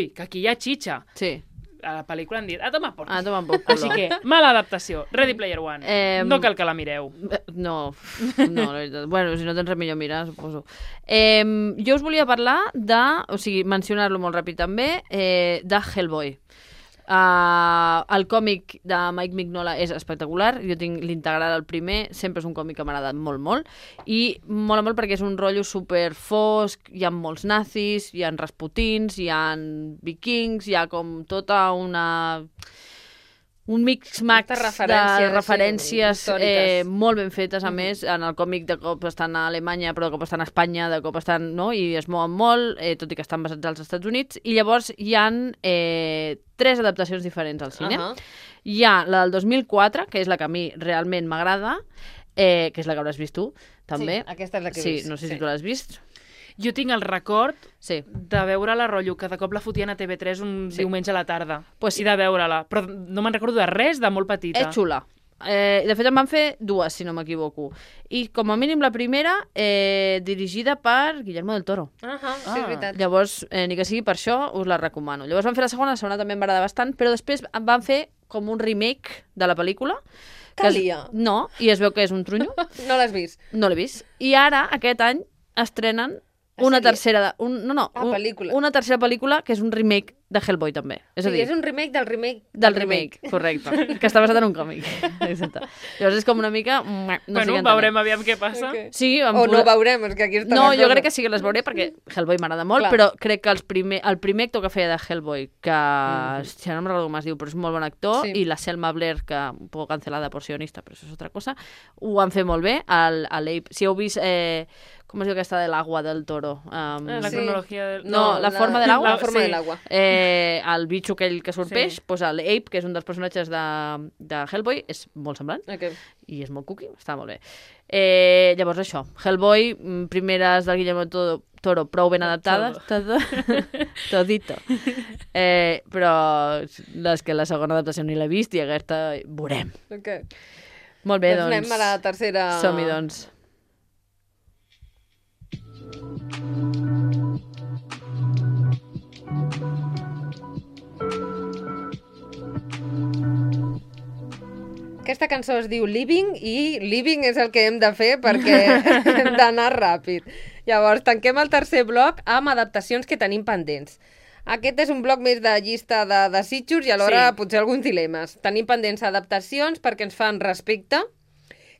que aquí hi ha xitxa. Sí. A la pel·lícula han dit, toma por. Toma por culo. Així que, mala adaptació. Ready Player One. No cal que la mireu. No, la veritat. Bueno, si no tens res millor mirar, suposo. Jo us volia parlar mencionar-lo molt ràpid també, de Hellboy. El còmic de Mike Mignola és espectacular, jo tinc l'integral al primer, sempre és un còmic que m'ha agradat molt, i mola molt perquè és un rotllo super fosc, hi ha molts nazis, hi ha rasputins, hi ha vikings, hi ha com tota un mix-max de referències molt ben fetes, a més. En el còmic de cop estan a Alemanya, però de cop estan a Espanya, de cop estan... no? I es mouen molt, tot i que estan basats als Estats Units. I llavors hi ha 3 adaptacions diferents al cine. Hi ha la del 2004, que és la que a mi realment m'agrada, que és la que hauràs vist tu, també. Sí, aquesta és la que he vist. Sí, no sé si tu l'has vist. Jo tinc el record de veure-la, rotllo, que de cop la fotien a TV3 un diumenge a la tarda. I de veure-la. Però no me'n recordo de res, de molt petita. És xula. De fet, en van fer dues, si no m'equivoco. I, com a mínim, la primera, dirigida per Guillermo del Toro. Sí, és veritat. Llavors, ni que sigui per això, us la recomano. Llavors van fer la segona també em va agradar bastant, però després van fer com un remake de la pel·lícula. Calia. No, i es veu que és un trunyo. No l'has vist? No l'he vist. I ara, aquest any, estrenen una tercera... pel·lícula. Una tercera pel·lícula que és un remake de Hellboy, també. És a dir, és un remake del remake del remake, correcte. Que està basat en un còmic. Exacte. Llavors és com una mica... No sé veurem aviam què passa. Okay. Sí, o no veurem, és que aquí està no, la jo cosa. crec que sí que les veuré perquè Hellboy m'agrada molt, Clar. però crec que el primer actor que feia de Hellboy, que si no me'n recordo com es diu, però és un molt bon actor, Sí. i la Selma Blair, que un poc cancelada por sionista, però això és altra cosa, ho han fet molt bé. L'Ape, si heu vist... com es diu aquesta de l'agua del toro? La cronologia del... No, la forma de l'agua. La forma sí. de l'agua. El bitxo aquell que surt Sí. peix, doncs l'Ape, que és un dels personatges de Hellboy, és molt semblant. Okay. I és molt cookie, està molt bé. Llavors això, Hellboy, primeres del Guillermo Toro, prou ben adaptades, todito. Però les que la segona adaptació ni l'he vist i aquesta veurem. Okay. Molt bé, doncs. Anem a la tercera... Som-hi, doncs. Aquesta cançó es diu Living i Living és el que hem de fer perquè hem d'anar ràpid. Llavors, tanquem el tercer bloc amb adaptacions que tenim pendents. Aquest és un bloc més de llista de desitjos i alhora Sí. potser alguns dilemes. Tenim pendents adaptacions perquè ens fan respecte,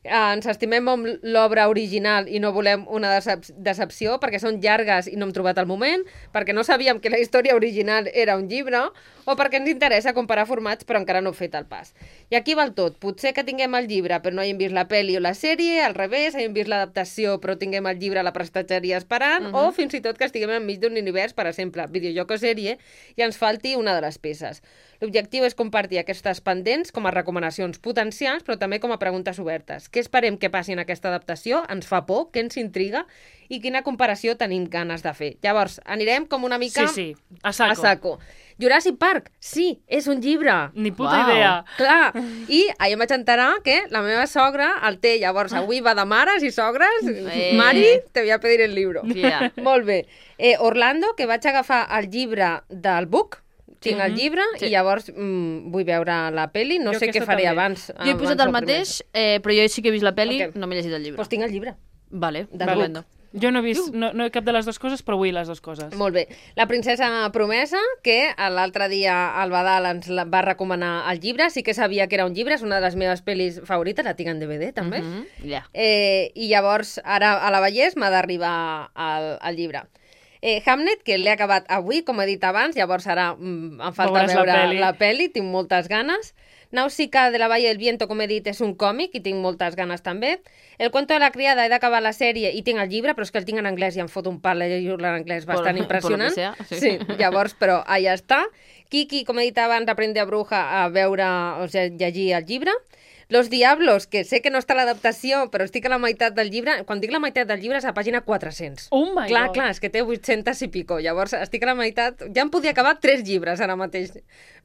ens estimem amb l'obra original i no volem una decepció perquè són llargues i no hem trobat el moment, perquè no sabíem que la història original era un llibre o perquè ens interessa comparar formats però encara no hem fet el pas. I aquí val tot. Potser que tinguem el llibre però no hàgim vist la pel·li o la sèrie, al revés, hàgim vist l'adaptació però tinguem el llibre a la prestatgeria esperant, o fins i tot que estiguem enmig d'un univers, per exemple, videojoc o sèrie, i ens falti una de les peces. L'objectiu és compartir aquestes pendents com a recomanacions potencials, però també com a preguntes obertes. Què esperem que passi en aquesta adaptació? Ens fa por? Què ens intriga? I quina comparació tenim ganes de fer? Llavors, anirem com una mica Sí, a saco. a saco. Jurassic Park, sí, és un llibre. Ni puta Uau. idea. Clar, i ahir em vaig enterar que la meva sogra el té, llavors avui va de mares i sogres. Mari, te voy a pedir el libro. Yeah. Molt bé. Orlando, que vaig agafar el llibre del Book, tinc el llibre, Sí. i llavors vull veure la peli, no Jo sé què aquesta faré també. abans. Jo he posat el mateix, però jo sí que he vist la pel·li, Ok. no m'he llegit el llibre. Doncs tinc el llibre. Vale, Del estupendo. Jo no he vist no cap de les dues coses, però vull les dues coses. Molt bé. La princesa promesa, que l'altre dia el Badal ens va recomanar el llibre, sí que sabia que era un llibre, és una de les meves pel·lis favorites, la tinc en DVD també. Ja. I llavors, ara a la Vallès m'ha d'arribar el llibre. Hamlet, que l'he acabat avui, com he dit abans, llavors ara em falta Veuràs la veure peli. la peli, tinc moltes ganes. Náusica de la Valle del Viento, com he dit, és un còmic i tinc moltes ganes també. El cuento de la criada, he d'acabar la sèrie i tinc el llibre, però és que el tinc en anglès i em fot un pal llegir-lo en anglès bastant Por lo impressionant. que sea, sí. Sí, llavors, però allà està. Kiki, com he dit abans, aprende a bruja a veure, o sigui, llegir el llibre. Los Diablos, que sé que no està a l'adaptació, però estic a la meitat del llibre. Quan dic la meitat del llibre és a pàgina 400. Oh my Clar, God. clar, és que té 800 i pico. Llavors, estic a la meitat... Ja em podia acabar 3 llibres ara mateix.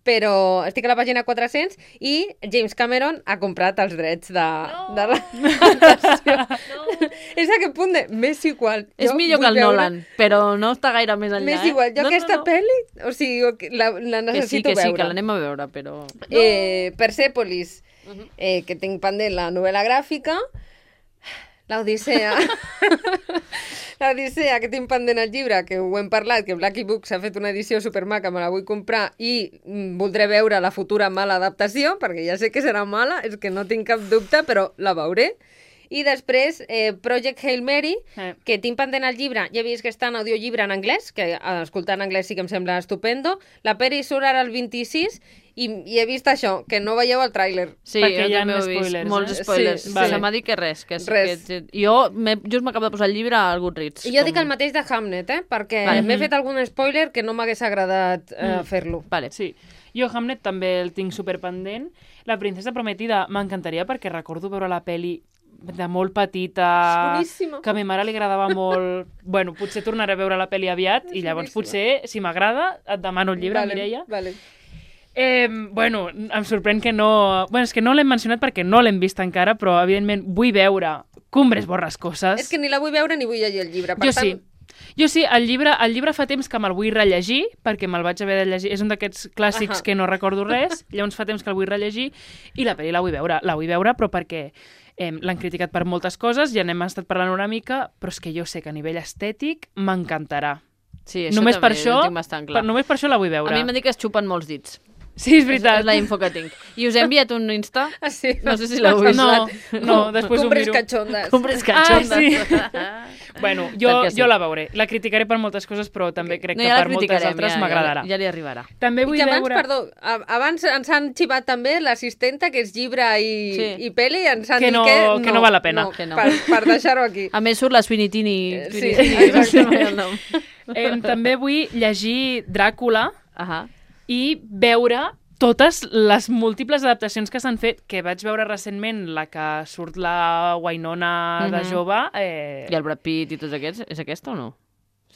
Però estic a la pàgina 400 i James Cameron ha comprat els drets de l'adaptació. És aquest punt de... M'és igual. És Jo millor que vull el veure- Nolan, però no està gaire més enllà. M'és igual. Jo aquesta pel·li, o sigui, la Que sí, necessito veure. que l'anem a veure, però... Persepolis, que tinc pendent la novel·la gràfica, l'Odissea, l'Odissea, que tinc pendent el llibre, que ho hem parlat, que Blacky Books ha fet una edició supermaca, me la vull comprar i voldré veure la futura mala adaptació, perquè ja sé que serà mala, és que no tinc cap dubte, però la veuré. I després, Project Hail Mary, que tinc pendent el llibre, ja he vist que està en audiollibre en anglès, que escoltar en anglès sí que em sembla estupendo. La peli surt ara el 26 i he vist això, que no veieu el tràiler. Sí, Perquè jo hi ha també ho he vist. spoilers, Molts eh? spoilers. Sí, vale. Se m'ha dit que res. Res. Jo just m'acabo de posar el llibre al Goodreads. I jo dic el mateix de Hamlet, perquè Vale. m'he fet algun spoiler que no m'hagués agradat fer-lo. Vale. Sí. Jo Hamlet també el tinc superpendent. La princesa prometida m'encantaria perquè recordo veure la peli de molt petita, És boníssima. que a ma mare li agradava molt. Bueno, potser tornaré a veure la peli aviat i llavors boníssima. potser, si m'agrada, et demano el llibre, Mireia. Vale. Bueno, em sorprèn que no... Bueno, és que no l'hem mencionat perquè no l'hem vist encara, però evidentment vull veure Cumbres Borrascoses. És que ni la vull veure ni vull llegir el llibre. Jo sí. Jo sí, el llibre fa temps que me'l vull rellegir, perquè me'l vaig haver de llegir. És un d'aquests clàssics que no recordo res, llavors fa temps que el vull rellegir, i la pel·li la vull veure. La vull veure, però perquè l'han criticat per moltes coses, ja n'hem estat parlant una mica, però és que jo sé que a nivell estètic m'encantarà. Sí, això només també per això, ho tinc bastant clar. només per això la vull veure. A mi m'han dit que es xupen molts dits. Sí, és veritat. És la info que tinc. I us he enviat un Insta. Ah, sí. No sé si l'heu vist. No, després ho Cumbres miro. cachondes. Cumbres cachondes. Ah, sí. Bueno, jo la veuré. La criticaré per moltes coses, però també crec que per moltes altres m'agradarà. Ja li arribarà. També vull abans, veure... perdó, abans ens han xivat també l'assistenta, que és llibre i pel·li, i ens han Que dit no- que no val la pena. Que no. Per deixar-ho aquí. A més, surt la Sweeney Tini. Sí, També vull llegir Dràcula Ahà. i veure totes les múltiples adaptacions que s'han fet, que vaig veure recentment la que surt la Winona de jove. I el Brad Pitt i tots aquests, és aquesta o no?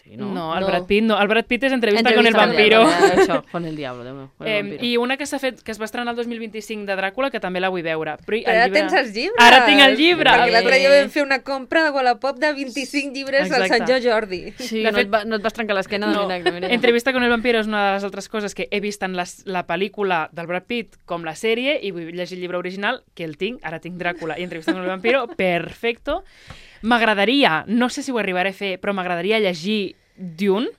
Sí, no? No, el Brad Pitt no. El Brad Pitt és Entrevista con el Entrevista vampiro. Això, con el diablo, Déu meu. Con el vampiro. I una que s'ha fet, que es va estrenar el 2025 de Dràcula, que també la vull veure. Però Però ara tens els llibres. Ara tinc el llibre. Perquè l'altre dia vam fer una compra de Wallapop de 25 llibres Exacte. al Sant Jordi. Sí, De fet, no et vas trencar l'esquena de mirar. Entrevista con el vampiro és una de les altres coses que he vist en la pel·lícula del Brad Pitt com la sèrie, i vull llegir el llibre original, que el tinc, ara tinc Dràcula i Entrevista con el vampiro, perfecto. M'agradaria, no sé si ho arribaré a fer, però m'agradaria llegir Dune.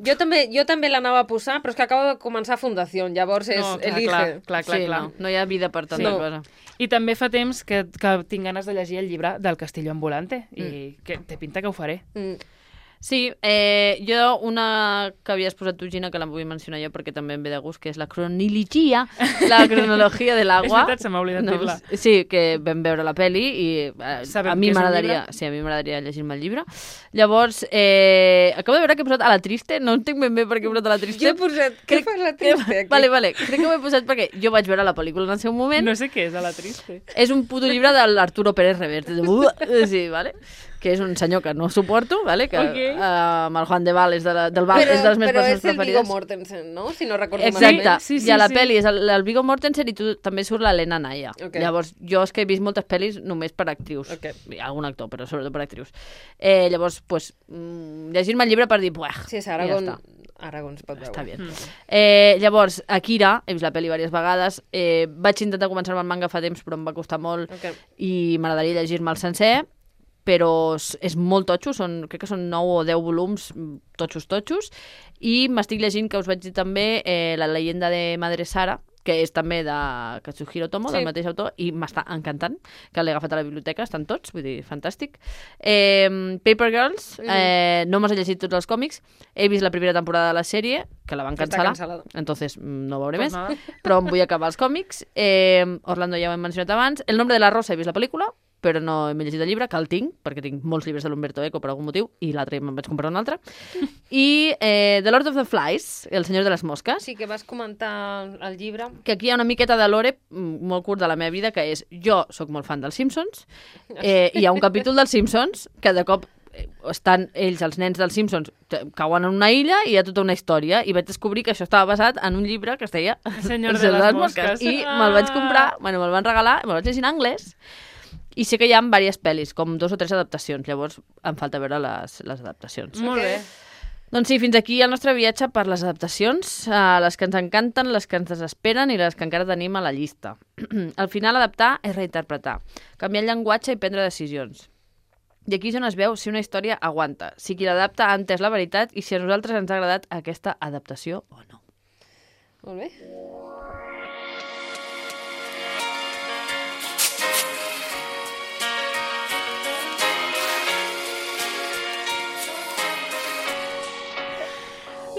Jo també l'anava a posar, però és que acaba de començar Fundació, llavors és elige. Clar. Sí, no hi ha vida per tanta cosa. I també fa temps que tinc ganes de llegir el llibre del Castillo Ambulante, i que té pinta que ho faré. Sí, jo una que havies posat tu, Gina, que la vull mencionar jo perquè també em ve de gust, que és la cronologia de És l'agua. veritat, se m'ha oblidat dir-la. Sí, que vam veure la peli i a mi m'agradaria llegir-me el llibre. Llavors, acabo de veure que he posat a la Triste, no entenc ben bé per què he posat a la Triste. Jo he posat, què fas la Triste aquí? Vale, crec que ho he posat perquè jo vaig veure la pel·lícula en el seu moment. No sé què és a la Triste. És un puto llibre de l'Arturo Pérez Reverte. Sí, vale? Que és un senyor que no suporto, vale? Que amb el Juan de Val és de les meves persones preferides. Però és el Viggo Mortensen, no? Si no recordo Exacte, malament. Sí, i a la pel·li és el Viggo Mortensen i també surt l'Helena Naya. Ok. Llavors, jo és que he vist moltes pel·lis només per actrius. Ok. Hi ha algun actor, però sobretot per actrius. Llavors, pues, llegir-me el llibre per dir, buah, Sí, és ja Aragón. està. Aragón es pot veure. Està bé. Llavors, Akira, he vist la pel·li diverses vegades, vaig intentar començar-me el manga fa temps, però em va costar molt i m'agradaria llegir-me el sencer, però és molt totxo, crec que són 9 o 10 volums totxos, i m'estic llegint, que us vaig dir també, La leyenda de Madre Sara, que és també de Katsuhiro Tomo, del mateix autor, i m'està encantant, que l'he agafat a la biblioteca, estan tots, vull dir, fantàstic. Paper Girls, no m'he llegit tots els còmics, he vist la primera temporada de la sèrie, que la van cancel·lar, entonces no veuré més, però em vull acabar els còmics. Orlando ja ho hem mencionat abans. El nombre de la rosa, he vist la pel·lícula, però no m'he llegit el llibre, que el tinc, perquè tinc molts llibres de l'Umberto Eco per algun motiu, i l'altre me'n vaig comprar un altre. I The Lord of the Flies, El senyor de les mosques, Sí, que vas comentar el llibre. que aquí hi ha una miqueta de lore molt curt de la meva vida, que és, jo sóc molt fan dels Simpsons, hi ha un capítol dels Simpsons que de cop estan ells, els nens dels Simpsons, cauen en una illa i hi ha tota una història, i vaig descobrir que això estava basat en un llibre que es deia El senyor de les mosques. i me'l vaig comprar, me'l van regalar, me'l vaig llegir en anglès, i sé que hi ha diverses pel·lis, com 2 o 3 adaptacions, llavors em falta veure les adaptacions. Molt bé. Doncs sí, fins aquí el nostre viatge per les adaptacions, les que ens encanten, les que ens desesperen i les que encara tenim a la llista. Al final, adaptar és reinterpretar, canviar el llenguatge i prendre decisions. I aquí és on es veu si una història aguanta, si qui l'adapta ha entès la veritat i si a nosaltres ens ha agradat aquesta adaptació o no. Molt bé.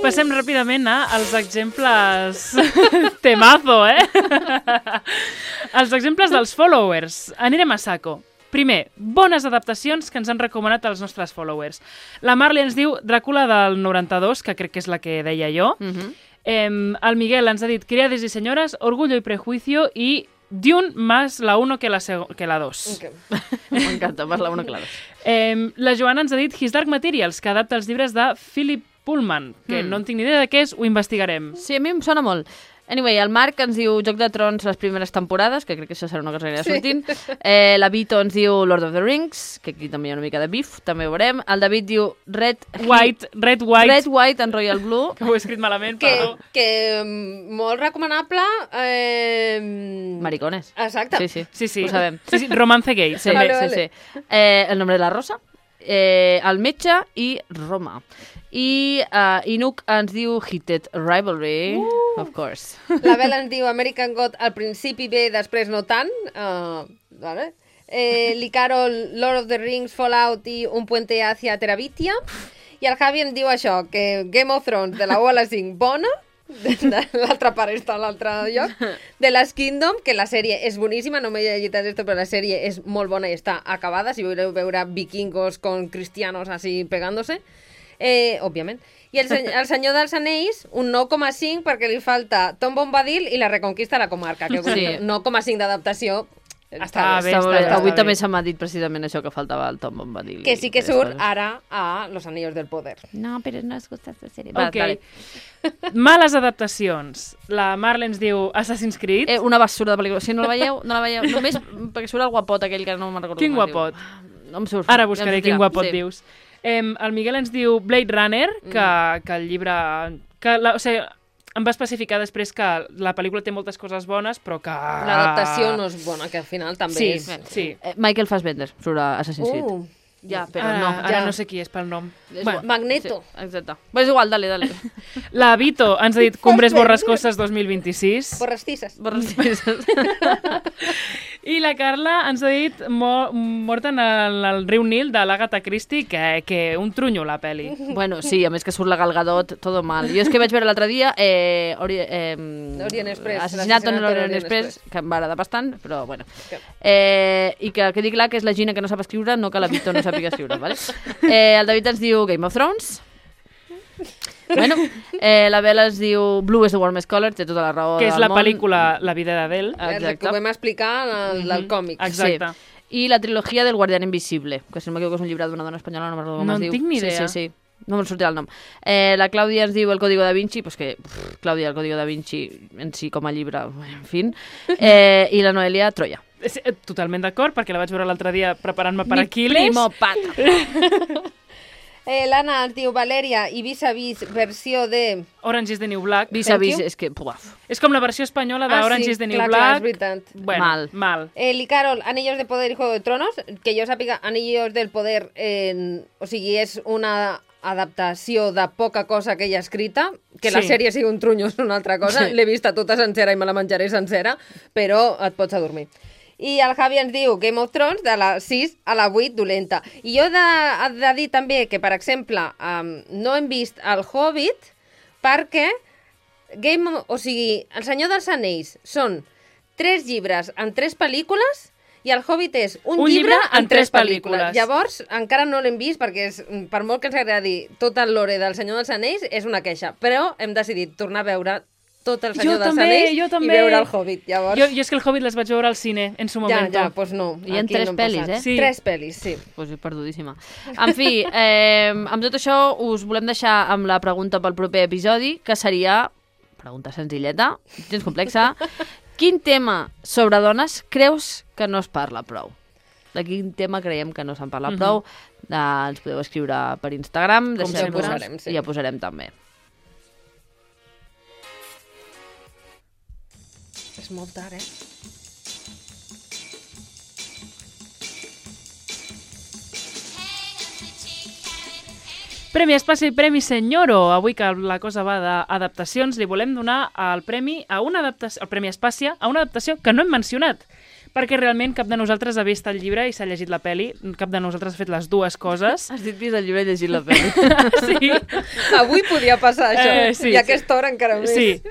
Passem ràpidament als exemples... Temazo, Els exemples dels followers. Anirem a saco. Primer, bones adaptacions que ens han recomanat els nostres followers. La Marley ens diu Dràcula del 92, que crec que és la que deia jo. El Miguel ens ha dit Criades y señoras, Orgullo y prejuicio i Dune más la 1 que la 2. Okay. M'encanta, más la 1 que la 2. La Joana ens ha dit His Dark Materials, que adapta els llibres de Philip Pullman, que no en tinc ni idea de què és, ho investigarem. Sí, a mi em sona molt. Anyway, el Marc ens diu Joc de Trons les primeres temporades, que crec que això serà una cosa que anirà sortint. La Vito ens diu Lord of the Rings, que aquí també hi ha una mica de bif, també ho veurem. El David diu Red, White and Royal Blue. Que ho he escrit malament, perdó. Que molt recomanable. Maricones. Exacte. Sí, ho sabem. Sí, Romance Gay. Sí, Vale. El nombre de la rosa, el metge i Roma. I Inuk ens diu Heated Rivalry, of course. La Bel ens diu American God al principi bé, després no tant. Vale. L'Icaro, Lord of the Rings, Fallout i Un puente hacia Terabitia. I el Javi em diu això, que Game of Thrones de la 1 a la 5 bona, l'altra part està a l'altre lloc, de Last Kingdom, que la sèrie és boníssima, no m'he llegit esto, però la sèrie és molt bona i està acabada, si voleu veure vikingos con cristianos así pegándose, òbviament. I el Senyor dels Anells, un 9,5 perquè li falta Tom Bombadil i la Reconquista de la Comarca, que Sí. 9,5 d'adaptació Està bé, Està molt bé. està Avui bé. també se m'ha dit precisament això, que faltava el Tom Bombadil. que sí que i surt coses. ara a Los Anillos del Poder. No, però no es gusta esta sèrie. Ok. Males adaptacions. La Marle ens diu Assassin's Creed. Una basura de pel·lícula. Si no la veieu, no la veieu. Només perquè surt el guapot aquell que no me'n recordo. Quin com es diu. guapot? No em surt. Ara buscaré quin guapot sí. dius. El Miguel ens diu Blade Runner, que el llibre... o sigui, em va especificar després que la pel·lícula té moltes coses bones, però que... L'adaptació no és bona, que al final també Sí, és... sí. Michael Fassbender surt a Assassin's Creed. Ja, però Ara, no. ara ja. no sé qui és pel nom. És Bueno, igual. Magneto. Sí, exacte. Però és igual, dale. la Vito ens ha dit Cumbres Borrascoses 2026. Borrastisses. I la Carla ens ha dit Mort en el riu Nil de l'Agatha Christie, que un trunyo la peli. Bueno, sí, a més que surt la Gal Gadot, todo mal. Jo és que vaig veure l'altre dia Orient Express, Assassinato en l'Orient l'Orient Express, que em va agradar bastant, però bueno. Que- I que quedi clar que és la Gina que no sap escriure, no que la Vito no sàpiga escriure, vale? El David ens diu Game of Thrones. Bueno, la Bela ens diu Blue is the warmest color, té tota la raó Que és del la món. pel·lícula La vida d'Adele. Que ho vam explicar del còmic. Exacte. Sí. I la trilogia del Guardián Invisible, que si no m'equivoco és un llibre d'una dona espanyola, no me'n recordo com No es en diu. tinc ni idea. Sí. No me'n sortirà el nom. La Clàudia ens diu El Código da Vinci, pues que, Clàudia, El Código da Vinci en si com a llibre, en fin. I la Noelia, Troia. Totalment d'acord, perquè la vaig veure l'altre dia preparant-me per Mi Aquiles. primo pata. L'Anna ens diu Valeria i Vis-a-Vis versió de... Orange is the New Black. Vis-a-vis, Thank you. és que, puaf. És com la versió espanyola d'Orange is the New clar, Black. és veritat. Bueno, Mal. mal. Anillos de Poder y Juego de Tronos, que jo sàpiga, Anillos del Poder, o sigui, és una adaptació de poca cosa que ella ha escrita, que la Sí. sèrie sigui un trunyo és una altra cosa, Sí. l'he vista tota sencera i me la menjaré sencera, però et pots adormir. I el Javi ens diu Game of Thrones de la 6 a la 8 dolenta. I jo he de dir també que, per exemple, no hem vist El Hobbit perquè o sigui, El Senyor dels Anells són 3 llibres en 3 pel·lícules i El Hobbit és un llibre en 3 pel·lícules. Llavors, encara no l'hem vist perquè per molt que ens agradi tot el lore del Senyor dels Anells, és una queixa. Però hem decidit tornar a veure tot el Senyor dels Anells i veure El Hobbit. Llavors... Jo és que El Hobbit les vaig veure al cine en su moment. Ja, pues no. Hi ha aquí 3 no hem pel·lis, passat. Sí. 3 pel·lis, sí. Pues perdudíssima. En fi, amb tot això us volem deixar amb la pregunta pel proper episodi, que seria, pregunta senzilleta, gens complexa, quin tema sobre dones creus que no es parla prou? De quin tema creiem que no se'n parla prou? Ens podeu escriure per Instagram, Com sempre. Posarem, sí. i ja posarem també. És molt tard, eh? Premi Espaci i Premi Senyoro. Avui que la cosa va d'adaptacions, li volem donar el premi a una adaptació, el Premi Espàcia a una adaptació que no hem mencionat, perquè realment cap de nosaltres ha vist el llibre i s'ha llegit la peli, cap de nosaltres ha fet les dues coses. Has dit vist el llibre i llegit la pel·li. Sí. Avui podia passar això, sí, i a aquesta hora encara més. Sí,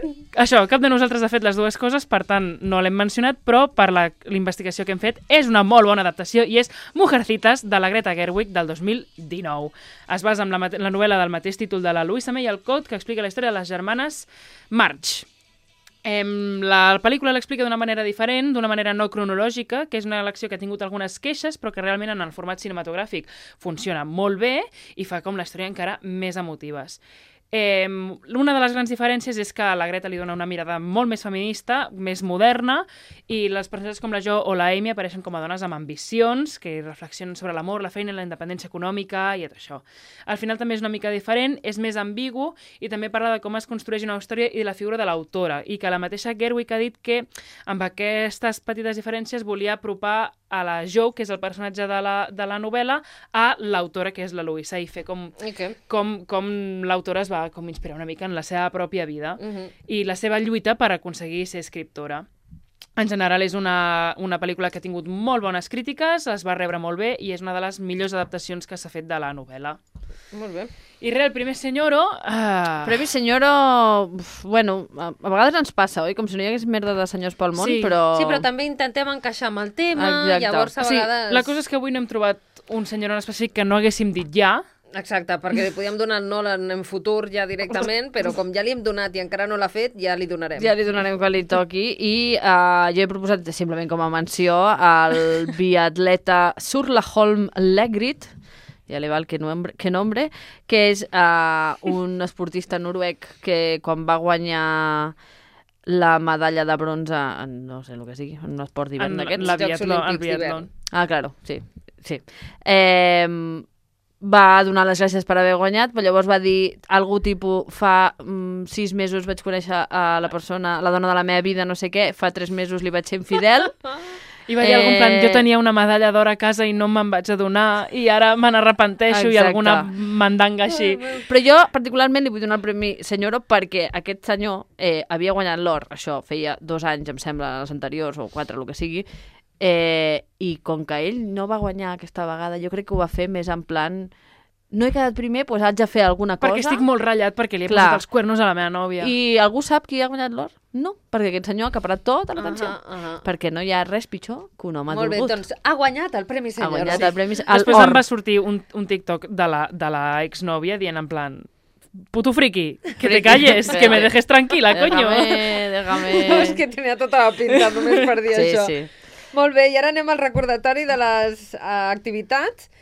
això, cap de nosaltres ha fet les dues coses, per tant, no l'hem mencionat, però per la investigació que hem fet és una molt bona adaptació i és Mujercitas, de la Greta Gerwig, del 2019. Es basa en la novel·la del mateix títol de la Louisa May Alcott, que explica la història de les germanes March. La pel·lícula l'explica d'una manera diferent, d'una manera no cronològica, que és una elecció que ha tingut algunes queixes, però que realment en el format cinematogràfic funciona molt bé i fa com la història encara més emotives. Una de les grans diferències és que la Greta li dona una mirada molt més feminista, més moderna, i les personatges com la Jo o la Amy apareixen com a dones amb ambicions, que reflexionen sobre l'amor, la feina, la independència econòmica i tot això. Al final també és una mica diferent, és més ambigu i també parla de com es construeix una història i de la figura de l'autora, i que la mateixa Gerwig ha dit que amb aquestes petites diferències volia apropar a la Jo, que és el personatge de la novel·la, a l'autora, que és la Louisa, i fer com l'autora es va com inspirar una mica en la seva pròpia vida i la seva lluita per aconseguir ser escriptora. En general és una pel·lícula que ha tingut molt bones crítiques, es va rebre molt bé i és una de les millors adaptacions que s'ha fet de la novel·la. Molt bé. I res, el primer Senyoro... Premi Senyoro, bueno, a vegades ens passa, oi? Com si no hi hagués merda de senyors pel món, Sí. però... Sí, però també intentem encaixar amb el tema, Exacte. llavors a Sí, vegades... la cosa és que avui no hem trobat un Senyoro en específic que no haguéssim dit ja. Exacte, perquè li podíem donar el Nolan en futur ja directament, però com ja li hem donat i encara no l'ha fet, ja li donarem. Ja li donarem quan li toqui i jo he proposat simplement com a menció el biatleta Sturla Leggrit, ja li val que nombre, que és un esportista noruec que quan va guanyar la medalla de bronze en no sé el que sigui, en un esport d'hivern d'aquests. Jocs Olímpics d'hivern. Ah, claro, sí. Va donar les gràcies per haver guanyat, però llavors va dir algú tipus, fa 6 mesos vaig conèixer a la persona, la dona de la meva vida, no sé què, fa 3 mesos li vaig ser infidel. I va dir algun plan, jo tenia una medalla d'or a casa i no me'n vaig adonar i ara me n'arrepenteixo i alguna mandanga així. Però jo particularment li vull donar el premi Senyoro perquè aquest senyor havia guanyat l'or, això feia 2 anys, em sembla, els anteriors, o 4, el que sigui, i com que ell no va guanyar aquesta vegada, jo crec que ho va fer més en plan no he quedat primer, doncs haig de fer alguna cosa. Perquè estic molt ratllat perquè li he posat els cuernos a la meva nòvia. I algú sap qui ha guanyat l'or? No, perquè aquest senyor ha acaparat tota l'atenció. Perquè no hi ha res pitjor que un home Molt bé, dolgut. doncs ha guanyat el Premi Senyoro. Ha guanyat el premi Després em va sortir un TikTok de la exnòvia dient en plan puto friki, que te calles, que me dejes tranquila, coño. Déjame. No, és que tenia tota la pinta només per dir això. Sí. Molt bé, i ara anem al recordatori de les activitats.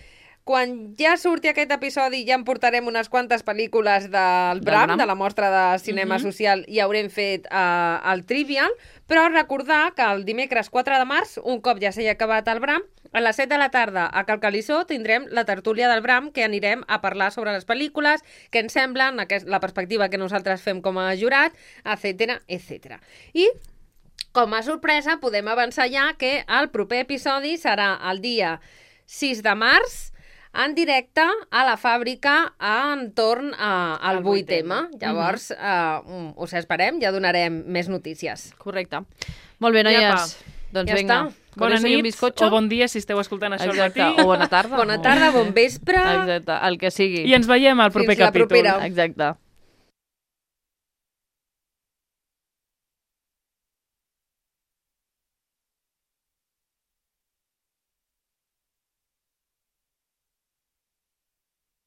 Quan ja surti aquest episodi ja en portarem unes quantes pel·lícules del Bram, de la mostra de cinema social, i haurem fet el Trivial, però recordar que el dimecres 4 de març, un cop ja s'hi ha acabat el Bram, a les 7 de la tarda a Calcalissó tindrem la tertúlia del Bram, que anirem a parlar sobre les pel·lícules, què ens semblen, la perspectiva que nosaltres fem com a jurat, etc. I com a sorpresa, podem avançar ja que el proper episodi serà el dia 6 de març, en directe a la fàbrica entorn al 8M. Llavors, us esperem, ja donarem més notícies. Correcte. Molt bé, noies. Doncs Ja vinga. està. Bona nit o bon dia si esteu escoltant això al matí. O bona tarda. Bona tarda, bon vespre. Exacte, el que sigui. I ens veiem al proper Fins la capítol. propera. Exacte.